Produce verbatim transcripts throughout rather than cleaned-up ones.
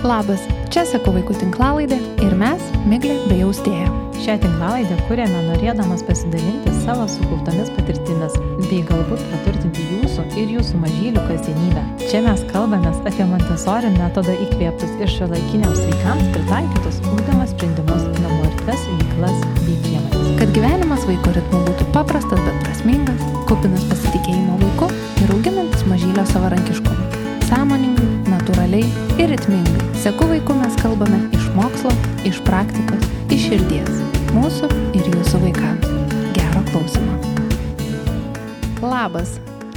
Labas, čia Sakau vaikų tinklalaidė ir mes, Miglė bei Austėja. Šią tinklalaidę kūrėme norėdamas pasidalinti savo sukauptomis patirtimis bei galbūt praturtinti jūsų ir jūsų mažylių kasdienybę. Čia mes kalbamės apie Montessori metodą įkvėptus ir šiuolaikiniams vaikams pritaikytus ugdymo sprendimus, namų erdves, veiklas bei priemones. Kad gyvenimas vaiko ritmu būtų paprastas, bet prasmingas, kupinas pasitikėjimo vaiku ir auginantis mažylio savarankiškumą. Sąmoningai, natūraliai ir ritmingai. Seku vaiku mes kalbame iš mokslo, iš praktikos, iš širdies. Mūsų ir jūsų vaikams. Gero klausimo. Labas,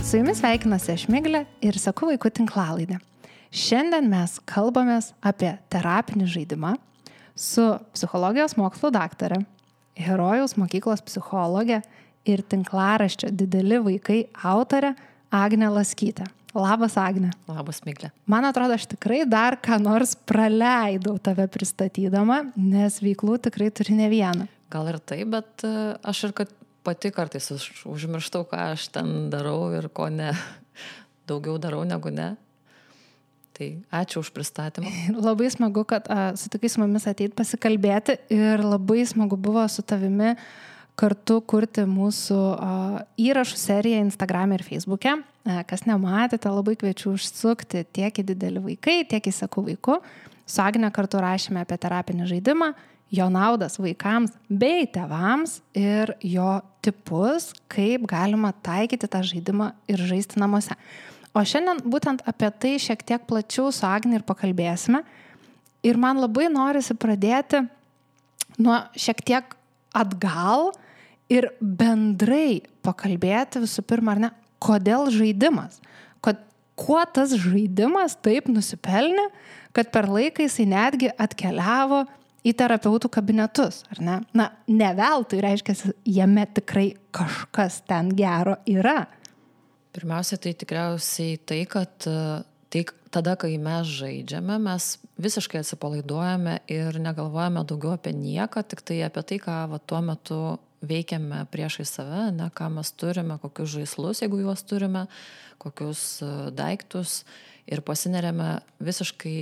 su jumis sveikinasi aš Miglė ir Seku vaikų tinklalaidė. Šiandien mes kalbamės apie terapinį žaidimą su psichologijos mokslo daktare, Herojaus mokyklos psichologė ir tinklaraščio Dideli vaikai autorė Agnė Laskytė. Labas, Agne. Labas, Miglė. Man atrodo, aš tikrai dar ką nors praleidau tave pristatydama, nes veiklų tikrai turi ne vieną. Gal ir tai, bet aš ir kad pati kartais užmirštau, ką aš ten darau ir ko ne. Daugiau darau negu ne. Tai ačiū už pristatymą. Labai smagu, kad a, sutikai su mumis ateit pasikalbėti ir labai smagu buvo su tavimi kartu kurti mūsų a, įrašų seriją Instagram'e ir Facebook'e. A, kas nematėte, labai kviečiu užsukti tiek į Dideli vaikai, tiek į Seku vaiku. Su Agne kartu rašėme apie terapinį žaidimą, jo naudas vaikams bei tėvams ir jo tipus, kaip galima taikyti tą žaidimą ir žaisti namuose. O šiandien būtent apie tai šiek tiek plačiau su Agne ir pakalbėsime. Ir man labai norisi pradėti nuo šiek tiek atgal ir bendrai pakalbėti visų pirma, ar ne, kodėl žaidimas, Kod, kuo tas žaidimas taip nusipelnė, kad per laiką jisai netgi atkeliavo į terapeutų kabinetus, ar ne? Na, ne veltui, reiškia, jame tikrai kažkas ten gero yra. Pirmiausia, tai tikriausiai tai, kad tai tada, kai mes žaidžiame, mes visiškai atsipalaiduojame ir negalvojame daugiau apie nieką, tik tai apie tai, ką va, tuo metu veikiame priešai save, ne, ką mes turime, kokius žaislus, jeigu juos turime, kokius daiktus ir pasineriame visiškai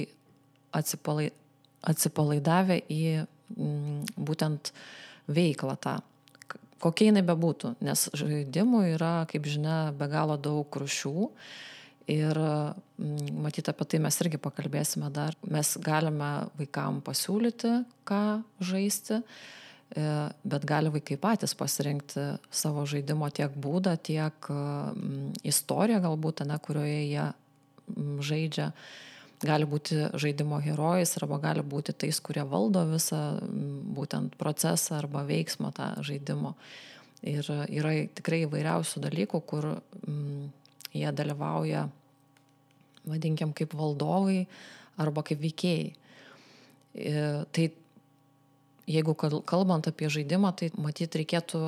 atsipalai, atsipalaidavę į m, būtent veiklą tą, kokia jinai bebūtų, nes žaidimų yra, kaip žinia, be galo daug rūšių ir m, matyt apie tai mes irgi pakalbėsime dar. Mes galime vaikam pasiūlyti, ką žaisti, bet gali vaikai patys pasirinkti savo žaidimo tiek būdą, tiek m, istoriją galbūt, ne, kurioje jie m, žaidžia. Gali būti žaidimo herojais arba gali būti tais, kurie valdo visą m, būtent procesą arba veiksmą tą žaidimo. Ir yra tikrai įvairiausių dalykų, kur m, jie dalyvauja, vadinkim, kaip valdovai arba kaip veikėjai. Ir tai jeigu kalbant apie žaidimą, tai matyt reikėtų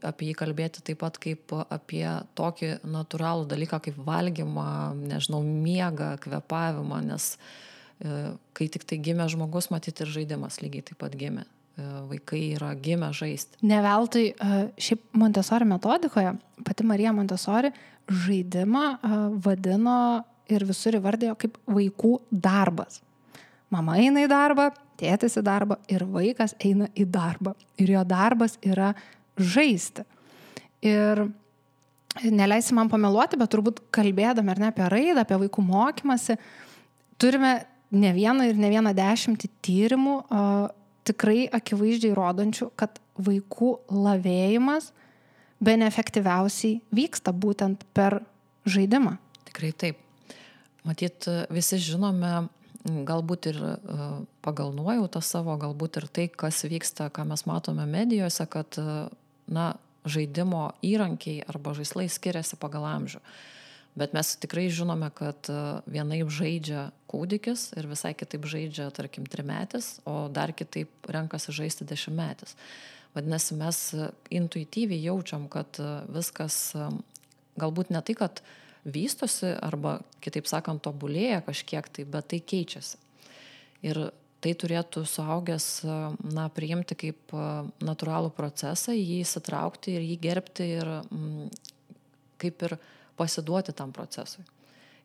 apie jį kalbėti taip pat kaip apie tokį natūralų dalyką kaip valgymą, nežinau, miegą, kvėpavimą, nes e, kai tik tai gimė žmogus, matyt ir žaidimas lygiai taip pat gimė. E, vaikai yra gimę žaisti. Ne veltui šiaip Montessori metodikoje, pati Marija Montessori žaidimą vadino ir visur įvardėjo kaip vaikų darbas. Mama eina į darbą, tėtis į darbą ir vaikas eina į darbą. Ir jo darbas yra žaisti. Ir neleisi man pameluoti, bet turbūt kalbėdami ar ne apie raidą, apie vaikų mokymasi, turime ne vieną ir ne vieną dešimtį tyrimų o, tikrai akivaizdžiai rodančių, kad vaikų lavėjimas bene efektyviausiai vyksta būtent per žaidimą. Tikrai taip. Matyt, visi žinome, galbūt ir pagal nuojautą savo, galbūt ir tai, kas vyksta, ką mes matome medijose, kad na, žaidimo įrankiai arba žaislai skiriasi pagal amžių. Bet mes tikrai žinome, kad vienaip žaidžia kūdikis ir visai kitaip žaidžia, tarkim, trimetis, o dar kitaip renkasi žaisti dešimtmetis. Vadinasi, mes intuityviai jaučiam, kad viskas galbūt ne tai, kad vystosi arba, kitaip sakant, tobulėja kažkiek tai, bet tai keičiasi. Ir tai turėtų suaugęs, na, priimti kaip natūralų procesą, jį įsitraukti ir jį gerbti ir m, kaip ir pasiduoti tam procesui.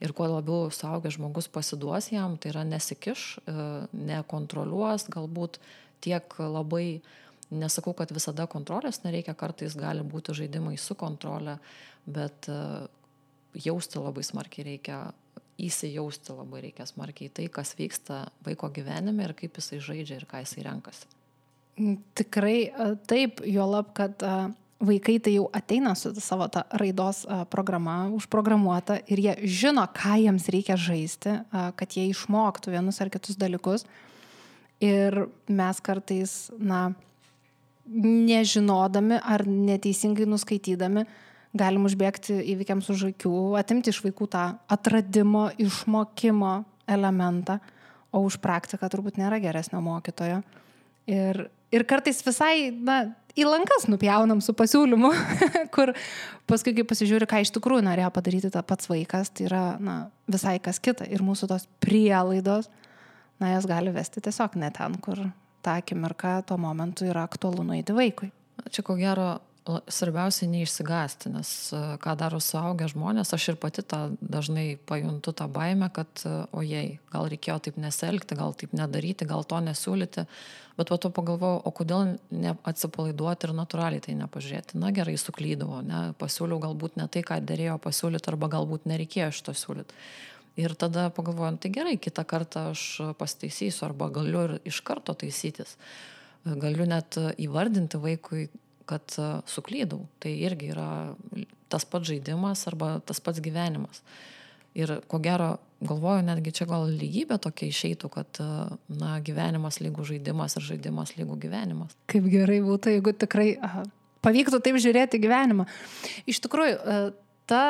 Ir kuo labiau suaugęs žmogus pasiduos jam, tai yra nesikiš, nekontroliuos, galbūt tiek labai, nesakau, kad visada kontrolės nereikia, kartais gali būti žaidimai su kontrolė, bet jausti labai smarkiai reikia, įsijausti labai reikia smarkiai tai, kas vyksta vaiko gyvenime ir kaip jisai žaidžia ir ką jisai renkasi. Tikrai taip, juolab, kad vaikai tai jau ateina su savo tą raidos programa užprogramuota ir jie žino, ką jiems reikia žaisti, kad jie išmoktų vienus ar kitus dalykus. Ir mes kartais, na, nežinodami ar neteisingai nuskaitydami, galim užbėgti įvykiams už akių, atimti iš vaikų tą atradimo, išmokimo elementą, o už praktiką turbūt nėra geresnio mokytojo. Ir, ir kartais visai, na, į lankas nupjaunam su pasiūlymu, kur paskui, kai pasižiūri, ką iš tikrųjų norėjo padaryti tą pats vaikas, tai yra, na, visai kas kita. Ir mūsų tos prielaidos, na, jas gali vesti tiesiog ne ten, kur tą akimirką tuo momentu yra aktualu nueiti vaikui. Čia ko gero svarbiausia neišsigąsti, nes ką daro suaugę žmonės, aš ir pati tą dažnai pajuntu tą baimę, kad ojei, gal reikėjo taip nesielgti, gal taip nedaryti, gal to nesiūlyti, bet po to pagalvojau, o kodėl neatsipalaiduoti ir natūraliai tai nepažiūrėti. Na gerai, suklydavo, ne, pasiūliau galbūt ne tai, ką dėrėjo pasiūlyti, arba galbūt nereikėjo šito siūlyti. Ir tada pagalvojau, tai gerai, kitą kartą aš pasitaisysiu, arba galiu ir iš karto taisytis. Galiu net įvardinti vaikui, kad suklydau. Tai irgi yra tas pats žaidimas arba tas pats gyvenimas. Ir ko gero, galvoju, netgi čia gal lygybė tokia išeitų, kad na, gyvenimas lygų žaidimas ir žaidimas lygų gyvenimas. Kaip gerai būtų, jeigu tikrai aha, pavyktų taip žiūrėti gyvenimą. Iš tikrųjų, ta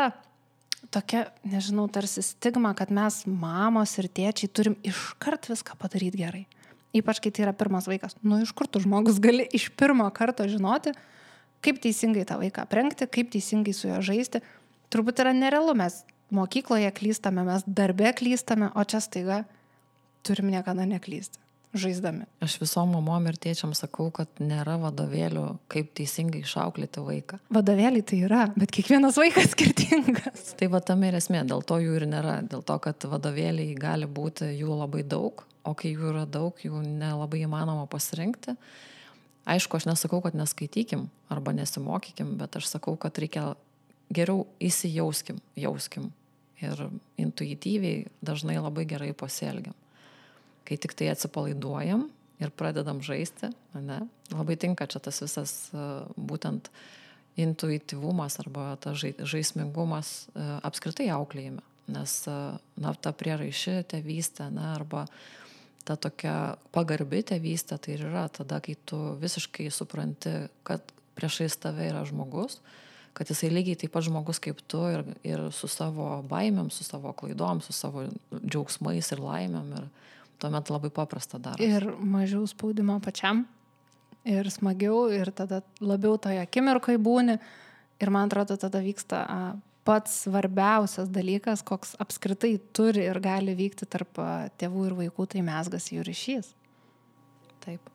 tokia, nežinau, tarsi stigma, kad mes mamos ir tėčiai turim iškart viską padaryti gerai. Ypač, kai tai yra pirmas vaikas. Nu, iš kur tu žmogus gali iš pirmo karto žinoti, kaip teisingai tą vaiką aprengti, kaip teisingai su juo žaisti. Turbūt yra nerealu, mes mokykloje klystame, mes darbe klystame, o čia staiga turim niekada neklysti, žaisdami. Aš visom mamom ir tėčiam sakau, kad nėra vadovėlių, kaip teisingai išauklėti vaiką. Vadovėliai tai yra, bet kiekvienas vaikas skirtingas. Tai va tame ir esmė, dėl to jų ir nėra, dėl to, kad vadovėliai gali būti jų labai daug, o kai jų yra daug, jų nelabai įmanoma pasirinkti. Aišku, aš nesakau, kad neskaitykim arba nesimokykim, bet aš sakau, kad reikia geriau įsijauskim, jauskim ir intuityviai dažnai labai gerai pasielgiam. Kai tik tai atsipalaiduojam ir pradedam žaisti, ne, labai tinka čia tas visas būtent intuityvumas arba tas žaismingumas apskritai auklėjime, nes na, ta prieraiši tėvystė, ne, arba ta tokia pagarbi tėvystė, tai yra tada, kai tu visiškai supranti, kad priešais tave yra žmogus, kad jisai lygiai taip pat žmogus kaip tu ir, ir su savo baimėm, su savo klaidom, su savo džiaugsmais ir laimėm ir tuomet labai paprasta darosi. Ir mažiau spaudimo pačiam, ir smagiau, ir tada labiau toje akimirkoje būni. Ir man atrodo, tada vyksta a, pats svarbiausias dalykas, koks apskritai turi ir gali vykti tarp a, tėvų ir vaikų, tai mezgasi jų ryšys. Taip.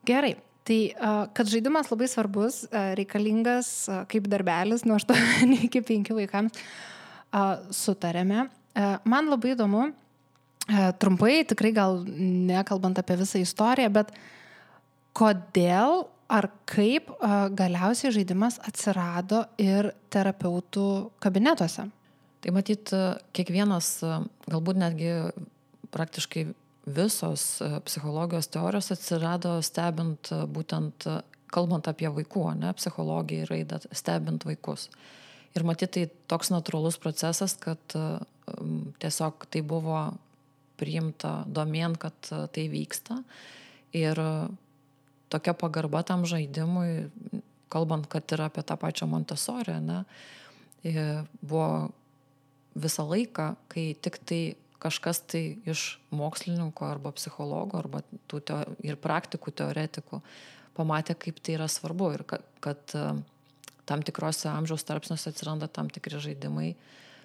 Gerai. Tai, a, kad žaidimas labai svarbus, a, reikalingas a, kaip darbelis nuo aštuonių iki penkių vaikams, a, sutarėme. A, man labai įdomu, a, trumpai, tikrai gal nekalbant apie visą istoriją, bet kodėl ar kaip a, galiausiai žaidimas atsirado ir terapeutų kabinetuose? Tai matyt, kiekvienas, galbūt netgi praktiškai visos psichologijos teorijos atsirado stebint būtent, kalbant apie vaikų, ne, psichologiją ir raidą, stebint vaikus. Ir matyt, tai toks natūralus procesas, kad um, tiesiog tai buvo priimta domėn, kad tai vyksta. Ir tokia pagarba tam žaidimui, kalbant, kad ir apie tą pačią Montessori, ne, buvo visą laiką, kai tik tai kažkas tai iš mokslininko arba psichologo arba tų teo, ir praktikų, teoretikų pamatė, kaip tai yra svarbu ir kad, kad tam tikrose amžiaus tarpsniuose atsiranda tam tikri žaidimai,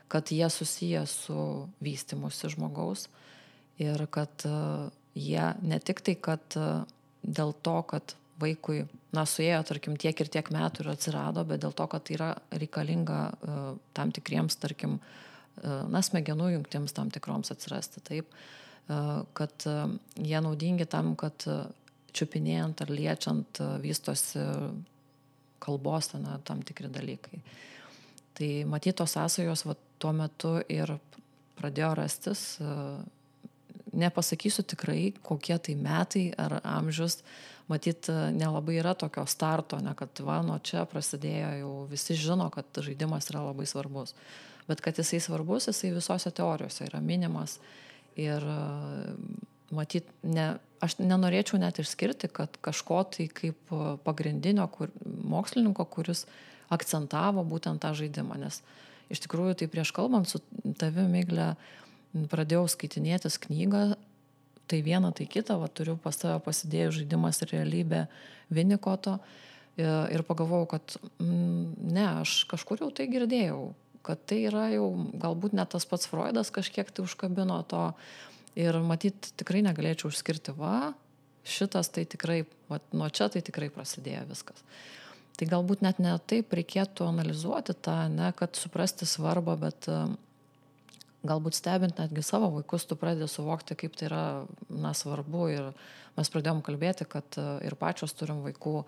kad jie susiję su vystymusi žmogaus ir kad jie ne tik tai, kad dėl to, kad vaikui, na, suėjo, tarkim, tiek ir tiek metų ir atsirado, bet dėl to, kad tai yra reikalinga uh, tam tikriems, tarkim, na, smegenų jungtims tam tikroms atsirasti, taip, kad jie naudingi tam, kad čiupinėjant ar liečiant vystosi kalbos na, tam tikri dalykai. Tai matytos sąsajos va, tuo metu ir pradėjo rastis, nepasakysiu tikrai, kokie tai metai ar amžius, matyt, nelabai yra tokio starto, ne, kad va, nuo čia prasidėjo, jau visi žino, kad žaidimas yra labai svarbus. Bet kad jisai svarbus, jisai visose teorijose yra minimas. Ir matyt, ne, aš nenorėčiau net išskirti, kad kažko tai kaip pagrindinio kur, mokslininko, kuris akcentavo būtent tą žaidimą. Nes iš tikrųjų, tai prieš kalbant su tavimi, Migle, pradėjau skaitinėtis knygą, tai vieną, tai kitą, va, turiu pas tave pasidėjau žaidimas ir realybė Winnicotto ir pagalvojau, kad mm, ne, aš kažkur jau tai girdėjau, kad tai yra jau galbūt net tas pats Freudas kažkiek tai užkabino to ir matyt tikrai negalėčiau užskirti, va, šitas tai tikrai, va, nuo čia tai tikrai prasidėjo viskas. Tai galbūt net ne taip reikėtų analizuoti tą, ne, kad suprasti svarbą, bet galbūt stebint netgi savo vaikus, tu pradedi suvokti, kaip tai yra na, svarbu ir mes pradėjom kalbėti, kad ir pačios turim vaikų.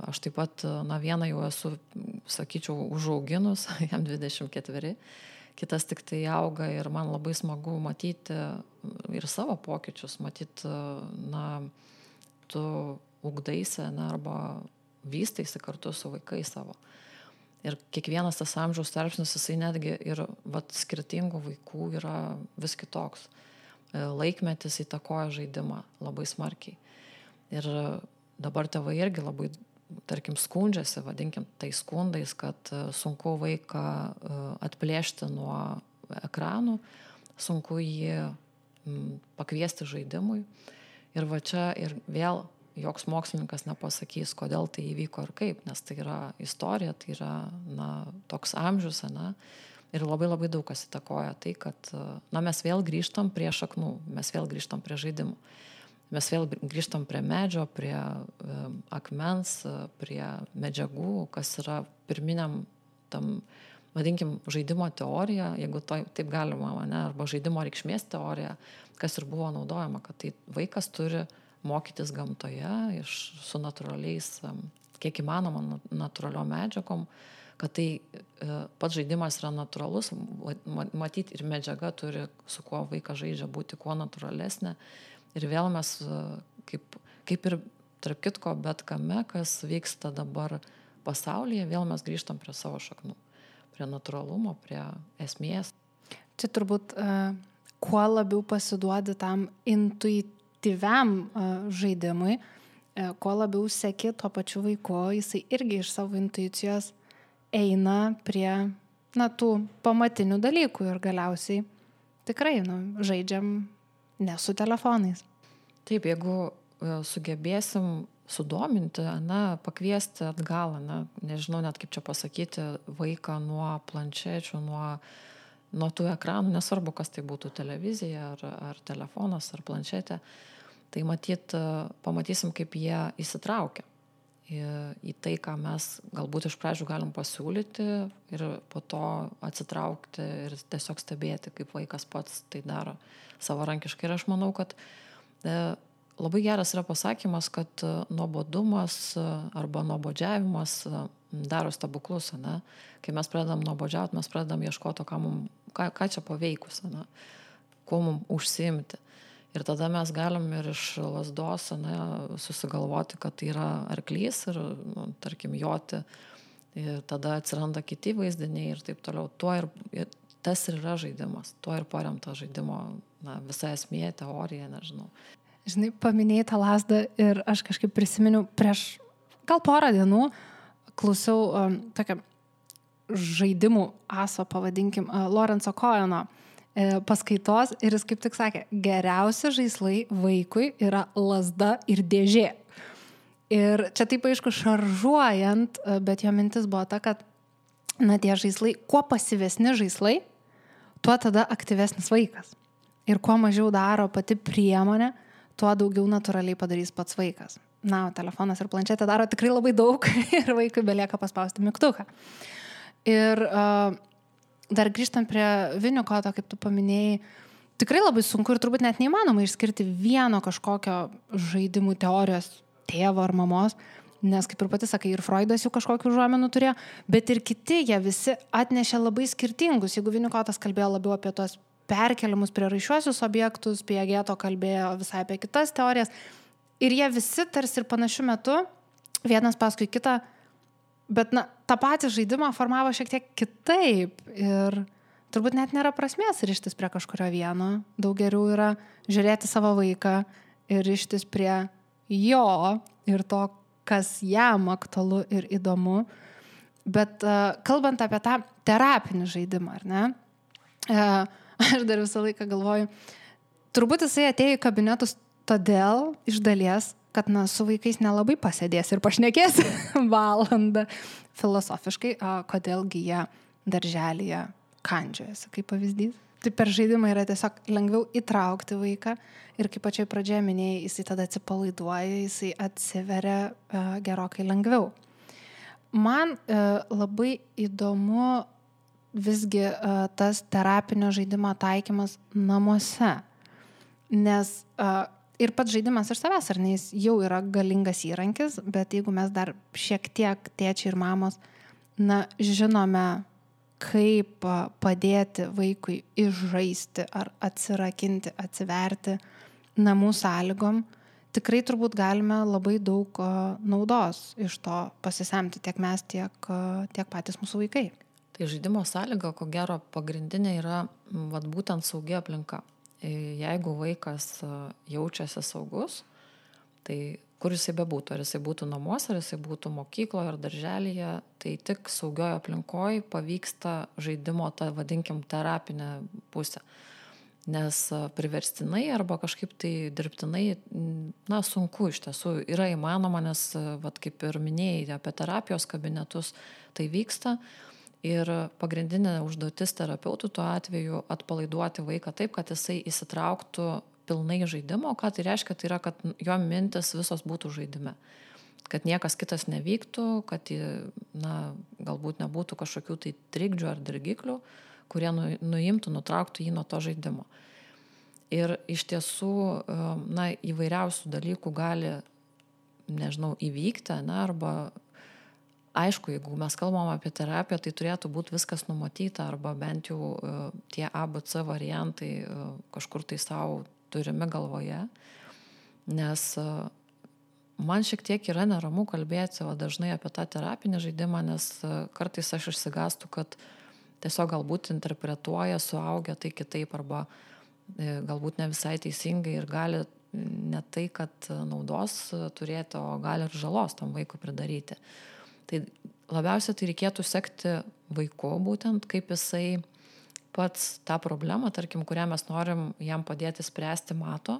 Aš taip pat, na, vieną jau esu, sakyčiau, užauginus, jam dvidešimt ketveri, kitas tik tai auga ir man labai smagu matyti ir savo pokyčius, matyti, na, tu ugdaisi, na, arba vystaisi kartu su vaikais savo. Ir kiekvienas tas amžiaus tarpsnis, jisai netgi ir vat, skirtingų vaikų yra vis kitoks. Laikmetis įtakoja žaidimą labai smarkiai. Ir dabar tėvai irgi labai, tarkim, skundžiasi, vadinkim, tai skundais, kad sunku vaiką atplėšti nuo ekranų, sunku jį pakviesti žaidimui. Ir va čia ir vėl joks mokslininkas nepasakys, kodėl tai įvyko ir kaip, nes tai yra istorija, tai yra na, toks amžius, na, ir labai labai daug kas įtakoja tai, kad na, mes vėl grįžtam prie šaknų, mes vėl grįžtam prie žaidimų. Mes vėl grįžtam prie medžio, prie e, akmens, prie medžiagų, kas yra pirminiam tam, vadinkim, žaidimo teorija, jeigu to, taip galima, ne, arba žaidimo reikšmės teorija, kas ir buvo naudojama, kad tai vaikas turi mokytis gamtoje iš, su natūraliais, kiek įmanoma natūraliom medžiagom, kad tai e, pats žaidimas yra natūralus, matyti ir medžiaga turi, su kuo vaikas žaidžia, būti kuo natūralesnė. Ir vėl mes, kaip, kaip ir tarp kitko, bet kame, kas vyksta dabar pasaulyje, vėl mes grįžtam prie savo šaknų, prie natūralumo, prie esmės. Čia turbūt uh, kuo labiau pasiduodi tam intuityviam uh, žaidimui, uh, kuo labiau seki tuo pačiu vaiku, jisai irgi iš savo intuicijos eina prie na, tų pamatinių dalykų ir galiausiai tikrai nu, žaidžiam ne su telefonais. Taip, jeigu sugebėsim sudominti, na, pakviesti atgal, na, nežinau net kaip čia pasakyti, vaiką nuo planšečių, nuo, nuo tų ekranų, nesvarbu, kas tai būtų televizija, ar, ar telefonas, ar planšetė, tai matyt, pamatysim, kaip jie įsitraukia į, į tai, ką mes galbūt iš pradžių galim pasiūlyti ir po to atsitraukti ir tiesiog stebėti, kaip vaikas pats tai daro savarankiškai. Ir aš manau, kad e, labai geras yra pasakymas, kad e, nuobodumas e, arba nuobodžiavimas e, daro stebuklus, ne? Kai mes pradedam nuobodžiauti, mes pradedam ieškoti, ką, mum, ką, ką čia paveikus, ne? Kuo mums užsiimti. Ir tada mes galim ir iš lazdos ne, susigalvoti, kad tai yra arklys ir, nu, tarkim, joti. Ir tada atsiranda kiti vaizdiniai ir taip toliau. Tuo ir, ir tas ir yra žaidimas. Tuo ir paremta žaidimo na, visa esmė, teorija, nežinau. Žinai, paminėjai tą lazdą ir aš kažkaip prisiminiau prieš gal porą dienų klausiau um, tokią žaidimų aso, pavadinkim, uh, Lorenzo Coheno paskaitos ir jis kaip tik sakė, geriausi žaislai vaikui yra lazda ir dėžė. Ir čia taip aišku šaržuojant, bet jo mintis buvo ta, kad na, tie žaislai, kuo pasyvesni žaislai, tuo tada aktyvesnis vaikas. Ir kuo mažiau daro pati priemonė, tuo daugiau natūraliai padarys pats vaikas. Na, telefonas ir planšetė daro tikrai labai daug ir vaikui belieka paspausti mygtuką. Ir uh, dar grįžtant prie Winnicotto, kaip tu paminėjai, tikrai labai sunku ir turbūt net neįmanoma išskirti vieno kažkokio žaidimų teorijos tėvo ar mamos, nes kaip ir pati sakai, ir Freudas jų kažkokių užuomenų turėjo, bet ir kiti jie visi atnešė labai skirtingus. Jeigu Winnicottas kalbėjo labiau apie tos perkeliamus prieraišiuosius objektus, Piageto kalbėjo visai apie kitas teorijas, ir jie visi tarsi ir panašiu metu, vienas paskui kitą, bet na, tą patį žaidimą formavo šiek tiek kitaip ir turbūt net nėra prasmės rištis prie kažkurio vieno. Daug geriau yra žiūrėti savo vaiką ir rištis prie jo ir to, kas jam aktualu ir įdomu. Bet uh, kalbant apie tą terapinį žaidimą, ar ne? Uh, aš dar visą laiką galvoju, turbūt jisai atėjo į kabinetus todėl iš dalies, kad na, su vaikais nelabai pasėdės ir pašnekės valandą filosofiškai, uh, kodėlgi jie darželyje kandžiojasi, kaip pavyzdys. Tai per žaidimą yra tiesiog lengviau įtraukti vaiką ir kaip pačioj pradžioje minėjai, jisai tada atsipalaiduoja, jisai atsiveria uh, gerokai lengviau. Man uh, labai įdomu visgi uh, tas terapinio žaidimo taikymas namuose, nes uh, ir pats žaidimas iš savęs, ar ne, jis jau yra galingas įrankis, bet jeigu mes dar šiek tiek tėčiai ir mamos, na, žinome, kaip padėti vaikui išžaisti ar atsirakinti, atsiverti namų sąlygom, tikrai turbūt galime labai daug naudos iš to pasisemti tiek mes, tiek, tiek patys mūsų vaikai. Tai žaidimo sąlyga, ko gero, pagrindinė yra vat, būtent saugi aplinka. Jeigu vaikas jaučiasi saugus, tai kur jisai bebūtų, ar jisai būtų namuose, ar jisai būtų mokykloje ar darželyje, tai tik saugioje aplinkoje pavyksta žaidimo, tą vadinkim, terapinę pusę. Nes priverstinai arba kažkaip tai dirbtinai, na, sunku iš tiesų yra įmanoma, nes, vat, kaip ir minėjai, apie terapijos kabinetus tai vyksta. Ir pagrindinė užduotis terapeutų tuo atveju atpalaiduoti vaiką taip, kad jisai įsitrauktų pilnai žaidimo. Ką tai reiškia? Tai yra, kad jo mintis visos būtų žaidime. Kad niekas kitas nevyktų, kad na, galbūt nebūtų kažkokių tai trikdžių ar dirgiklių, kurie nu, nuimtų, nutrauktų jį nuo to žaidimo. Ir iš tiesų na, įvairiausių dalykų gali, nežinau, įvykti, na, arba aišku, jeigu mes kalbam apie terapiją, tai turėtų būti viskas numatyta, arba bent jau tie A B C variantai kažkur tai savo turime galvoje, nes man šiek tiek yra neramu kalbėti o dažnai apie tą terapinį žaidimą, nes kartais aš išsigastu, kad tiesiog galbūt interpretuoja suaugę tai kitaip, arba galbūt ne visai teisingai ir gali ne tai, kad naudos turėti, o gali ir žalos tam vaikui pridaryti. Tai labiausiai tai reikėtų sekti vaiku būtent, kaip jisai pats tą problemą, tarkim, kurią mes norim jam padėti spręsti, mato.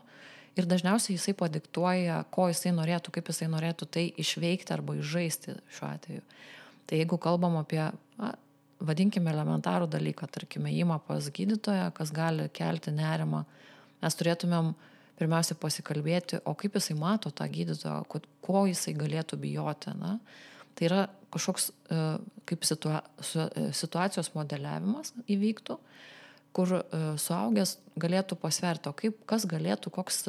Ir dažniausiai jisai padiktuoja, ko jisai norėtų, kaip jisai norėtų tai išveikti arba išžaisti šiuo atveju. Tai jeigu kalbam apie, na, vadinkime elementarų dalyką, tarkime, įimą pas gydytoją, kas gali kelti nerimą, mes turėtumėm pirmiausia pasikalbėti, o kaip jisai mato tą gydytoją, ko jisai galėtų bijoti. Na? Tai yra kažkoks kaip situa- situacijos modeliavimas įvyktų, kur suaugęs galėtų pasverti, o kaip, kas galėtų, koks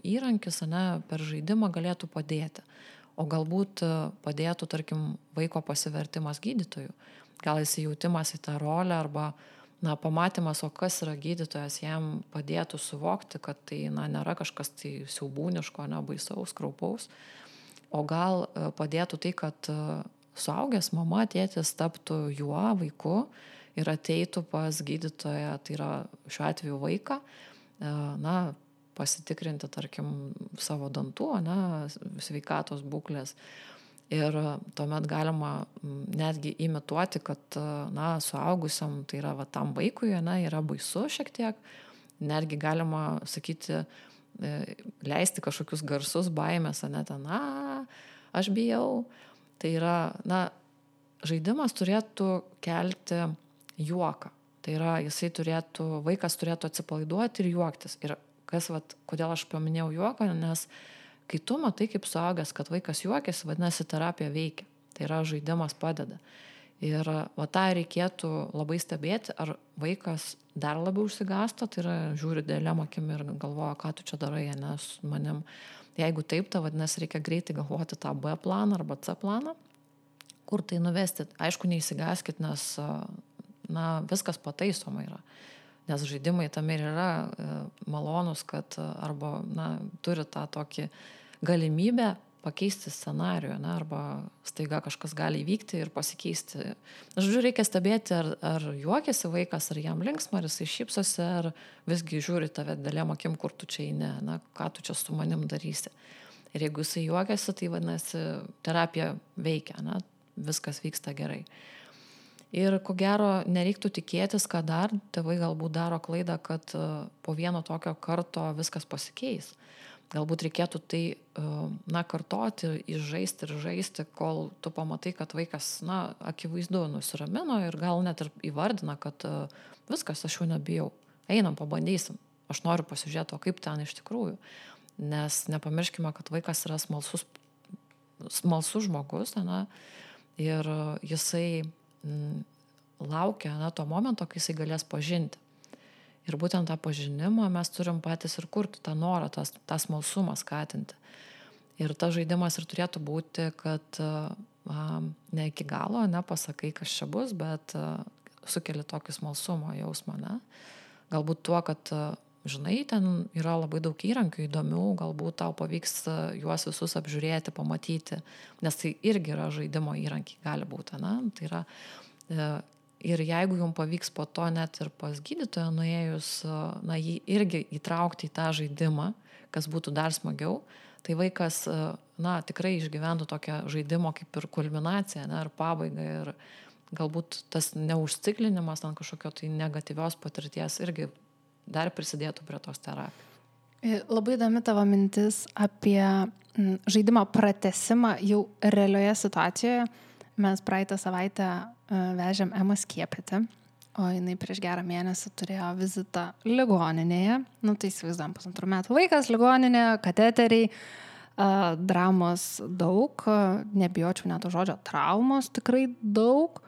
įrankis, ne, per žaidimą galėtų padėti. O galbūt padėtų, tarkim, vaiko pasivertimas gydytojų. Gal įsijautimas į tą rolę arba na, pamatymas, o kas yra gydytojas, jam padėtų suvokti, kad tai na, nėra kažkas tai siaubūniško, ne, baisaus, kraupaus. O gal padėtų tai, kad suaugęs mama, tėtis taptų juo, vaiku ir ateitų pas gydytoją, tai yra šiuo atveju vaiką, na, pasitikrinti, tarkim, savo dantų, na, sveikatos būklės. Ir tuomet galima netgi imituoti, kad na, suaugusiam, tai yra va, tam vaikui, na, yra baisu šiek tiek. Netgi galima sakyti, leisti kažkokius garsus baimės, ne ten, na, aš bijau. Tai yra, na, žaidimas turėtų kelti juoką. Tai yra, jisai turėtų, vaikas turėtų atsipalaiduoti ir juoktis. Ir kas, vat, kodėl aš paminėjau juoką, nes kai tu matai kaip suaugęs, kad vaikas juokiasi, vadinasi, terapija veikia. Tai yra, žaidimas padeda. Ir va tą reikėtų labai stebėti, ar vaikas dar labiau užsigasto, tai yra žiūri dėlėm akim ir galvoja, ką tu čia darai, ne, su manim. Jeigu taip, tai vadinasi, reikia greitai galvoti tą B planą arba C planą, kur tai nuvesti. Aišku, neįsigaskit, nes na, viskas pataisoma yra. Nes žaidimai tam ir yra malonus, kad arba na, turi tą tokį galimybę pakeisti scenarijų, ne, arba staiga kažkas gali įvykti ir pasikeisti. Žodžiu, reikia stebėti, ar, ar juokiasi vaikas, ar jam linksma, ar jisai šypsosi, ar visgi žiūri tave dėlėm akim, kur tu čia eini, na, ką tu čia su manim darysi. Ir jeigu jisai juokiasi, tai vadinasi, terapija veikia, ne, viskas vyksta gerai. Ir ko gero, nereiktų tikėtis, kad dar tėvai galbūt daro klaidą, kad po vieno tokio karto viskas pasikeis. Galbūt reikėtų tai, na, kartoti, išžaisti ir žaisti, kol tu pamatai, kad vaikas, na, akivaizdu nusiramino ir gal net ir įvardina, kad viskas, aš jau nebijau. Einam, pabandysim. Aš noriu pasižiūrėti, o kaip ten iš tikrųjų. Nes nepamirškime, kad vaikas yra smalsus, smalsus žmogus, na, ir jisai m, laukia, na, to momento, kai jisai galės pažinti. Ir būtent tą pažinimą mes turim patys ir kurti, tą norą, tą, tą smalsumą skatinti. Ir tas žaidimas ir turėtų būti, kad a, ne iki galo, nepasakai, kas čia bus, bet a, sukeli tokį smalsumo jausmą. Ne? Galbūt tuo, kad, a, žinai, ten yra labai daug įrankių įdomių, galbūt tau pavyks a, juos visus apžiūrėti, pamatyti, nes tai irgi yra žaidimo įrankiai, gali būti. Ne? Tai yra... A, Ir jeigu jums pavyks po to net ir pas gydytoją nuėjus, na, jį irgi įtraukti į tą žaidimą, kas būtų dar smagiau, tai vaikas, na, tikrai išgyventų tokią žaidimo kaip ir kulminaciją, ne, ar pabaigą. Ir galbūt tas neužciklinimas ant kažkokio tai negatyvios patirties irgi dar prisidėtų prie tos terapijos. Labai įdomi tavo mintis apie žaidimo pratesimą jau realioje situacijoje. Mes praeitą savaitę vežėm Emą skiepyti, o jinai prieš gerą mėnesį turėjo vizitą ligoninėje. Nu, tai įsivaizduojam, pusantrų metų vaikas, ligoninė, kateteriai, dramos daug, nebijočiau net to žodžio, traumos tikrai daug.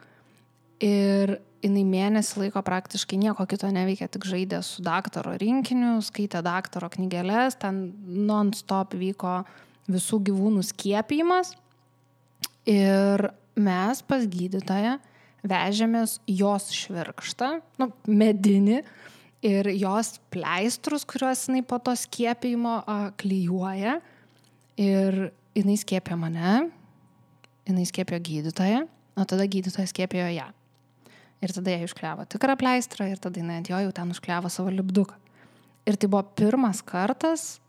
Ir jinai mėnesį laiko praktiškai nieko kito neveikė, tik žaidė su daktaro rinkiniu, skaitė daktaro knygeles, ten non-stop vyko visų gyvūnų skiepijimas. Ir mes pas gydytoją vežėmės jos švirkštą, nu, medinį, ir jos pleistrus, kuriuos jinai po to skiepijimo a, klijuoja. Ir jinai skiepė mane, jinai skiepėjo gydytoją, o tada gydytojas skiepėjo ją. Ir tada jie užkliavo tikrą pleistrą ir tada jinai ant jo jau ten užkliavo savo lipduką. Ir tai buvo pirmas kartas,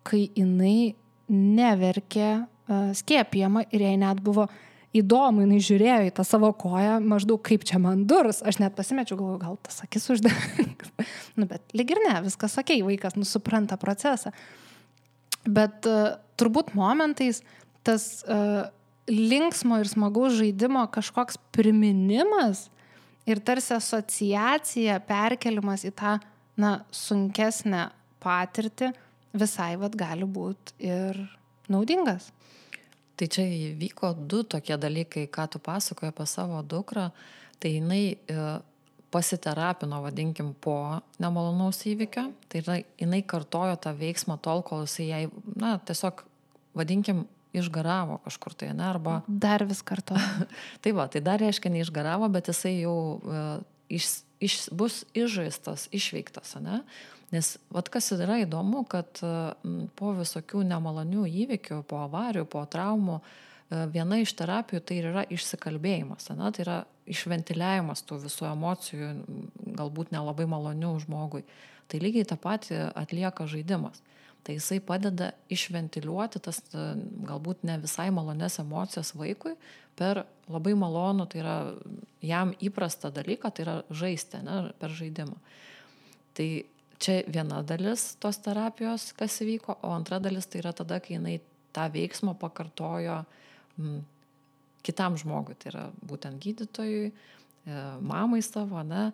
kai jinai neverkė uh, skiepijama ir jai net buvo įdomu, jinai žiūrėjo į tą savo koją, maždaug kaip čia man durs. Aš net pasimečiau, galvoju, gal tas akis uždengs. Nu, bet lyg ir ne, viskas okei, vaikas nusupranta procesą. Bet uh, turbūt momentais tas uh, linksmo ir smagaus žaidimo kažkoks priminimas ir tarsi asociacija, perkelimas į tą, na, sunkesnę patirtį visai vat gali būti ir naudingas. Tai čia įvyko du tokie dalykai, ką tu pasakoji apie savo dukrą. Tai jinai e, pasiterapino, vadinkim, po nemalonaus įvykio. Tai yra, jinai kartojo tą veiksmą tol, kol jisai jai, na, tiesiog, vadinkim, išgaravo kažkur tai, ne, arba... Dar vis kartojo. Tai va, tai dar reiškia neišgaravo, bet jisai jau e, iš, iš, bus išžaistas, išveiktas, ne? Nes vat kas yra įdomu, kad po visokių nemalonių įvykių, po avarijų, po traumų, viena iš terapijų tai yra išsikalbėjimas, ne? Tai yra išventiliavimas tų visų emocijų, galbūt nelabai malonių žmogui. Tai lygiai tą patį atlieka žaidimas. Tai jisai padeda išventiliuoti tas galbūt ne visai malonės emocijas vaikui per labai malonų, tai yra jam įprastą dalyką, tai yra žaisti, ne? Per žaidimą. Tai čia viena dalis tos terapijos, kas įvyko, o antra dalis tai yra tada, kai jinai tą veiksmą pakartojo m, kitam žmogui, tai yra būtent gydytojui, e, mamai savo, ne,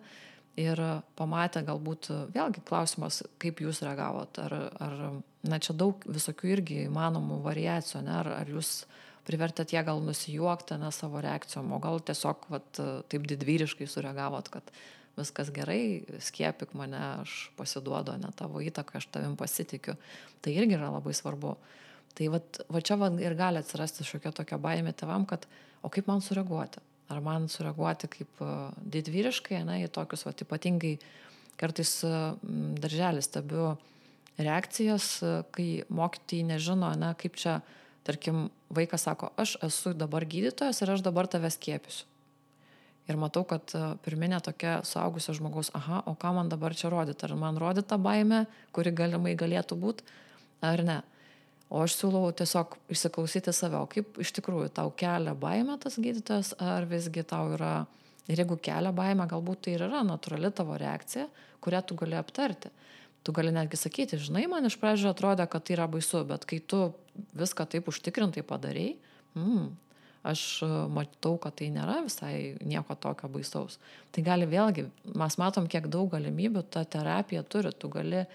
ir pamatė galbūt, vėlgi klausimas, kaip jūs reagavot, ar, ar na, čia daug visokių irgi įmanomų variacijų, ne, ar, ar jūs privertėt ją gal nusijuokti, ne, savo reakcijom, o gal tiesiog vat, taip didvyriškai sureagavot, kad viskas gerai, skiepik mane, aš pasiduodu, ne tavo įtaką, aš tavim pasitikiu. Tai irgi yra labai svarbu. Tai vat, va čia va ir gali atsirasti šiokia tokia baimė tėvam, kad o kaip man sureaguoti? Ar man sureaguoti kaip didvyriškai, ne, į tokius vat, ypatingai kartais darželį stebiu reakcijas, kai mokytojai nežino, ne, kaip čia, tarkim, vaikas sako, aš esu dabar gydytojas ir aš dabar tave skiepysiu. Ir matau, kad pirminė tokia suaugusio žmogaus, aha, o ką man dabar čia rodyti? Ar man rodyti tą baimę, kuri galimai galėtų būti, ar ne? O aš siūlau tiesiog išsiklausyti save, o kaip iš tikrųjų tau kelia baimę tas gydytojas, ar visgi tau yra, ir jeigu kelia baimę, galbūt tai ir yra natūrali tavo reakcija, kurią tu gali aptarti. Tu gali netgi sakyti, žinai, man iš pradžių atrodė, kad tai yra baisu, bet kai tu viską taip užtikrintai padarei, mm, aš matau, kad tai nėra visai nieko tokio baisaus. Tai gali vėlgi, mes matom, kiek daug galimybių ta terapija turi, tu gali e,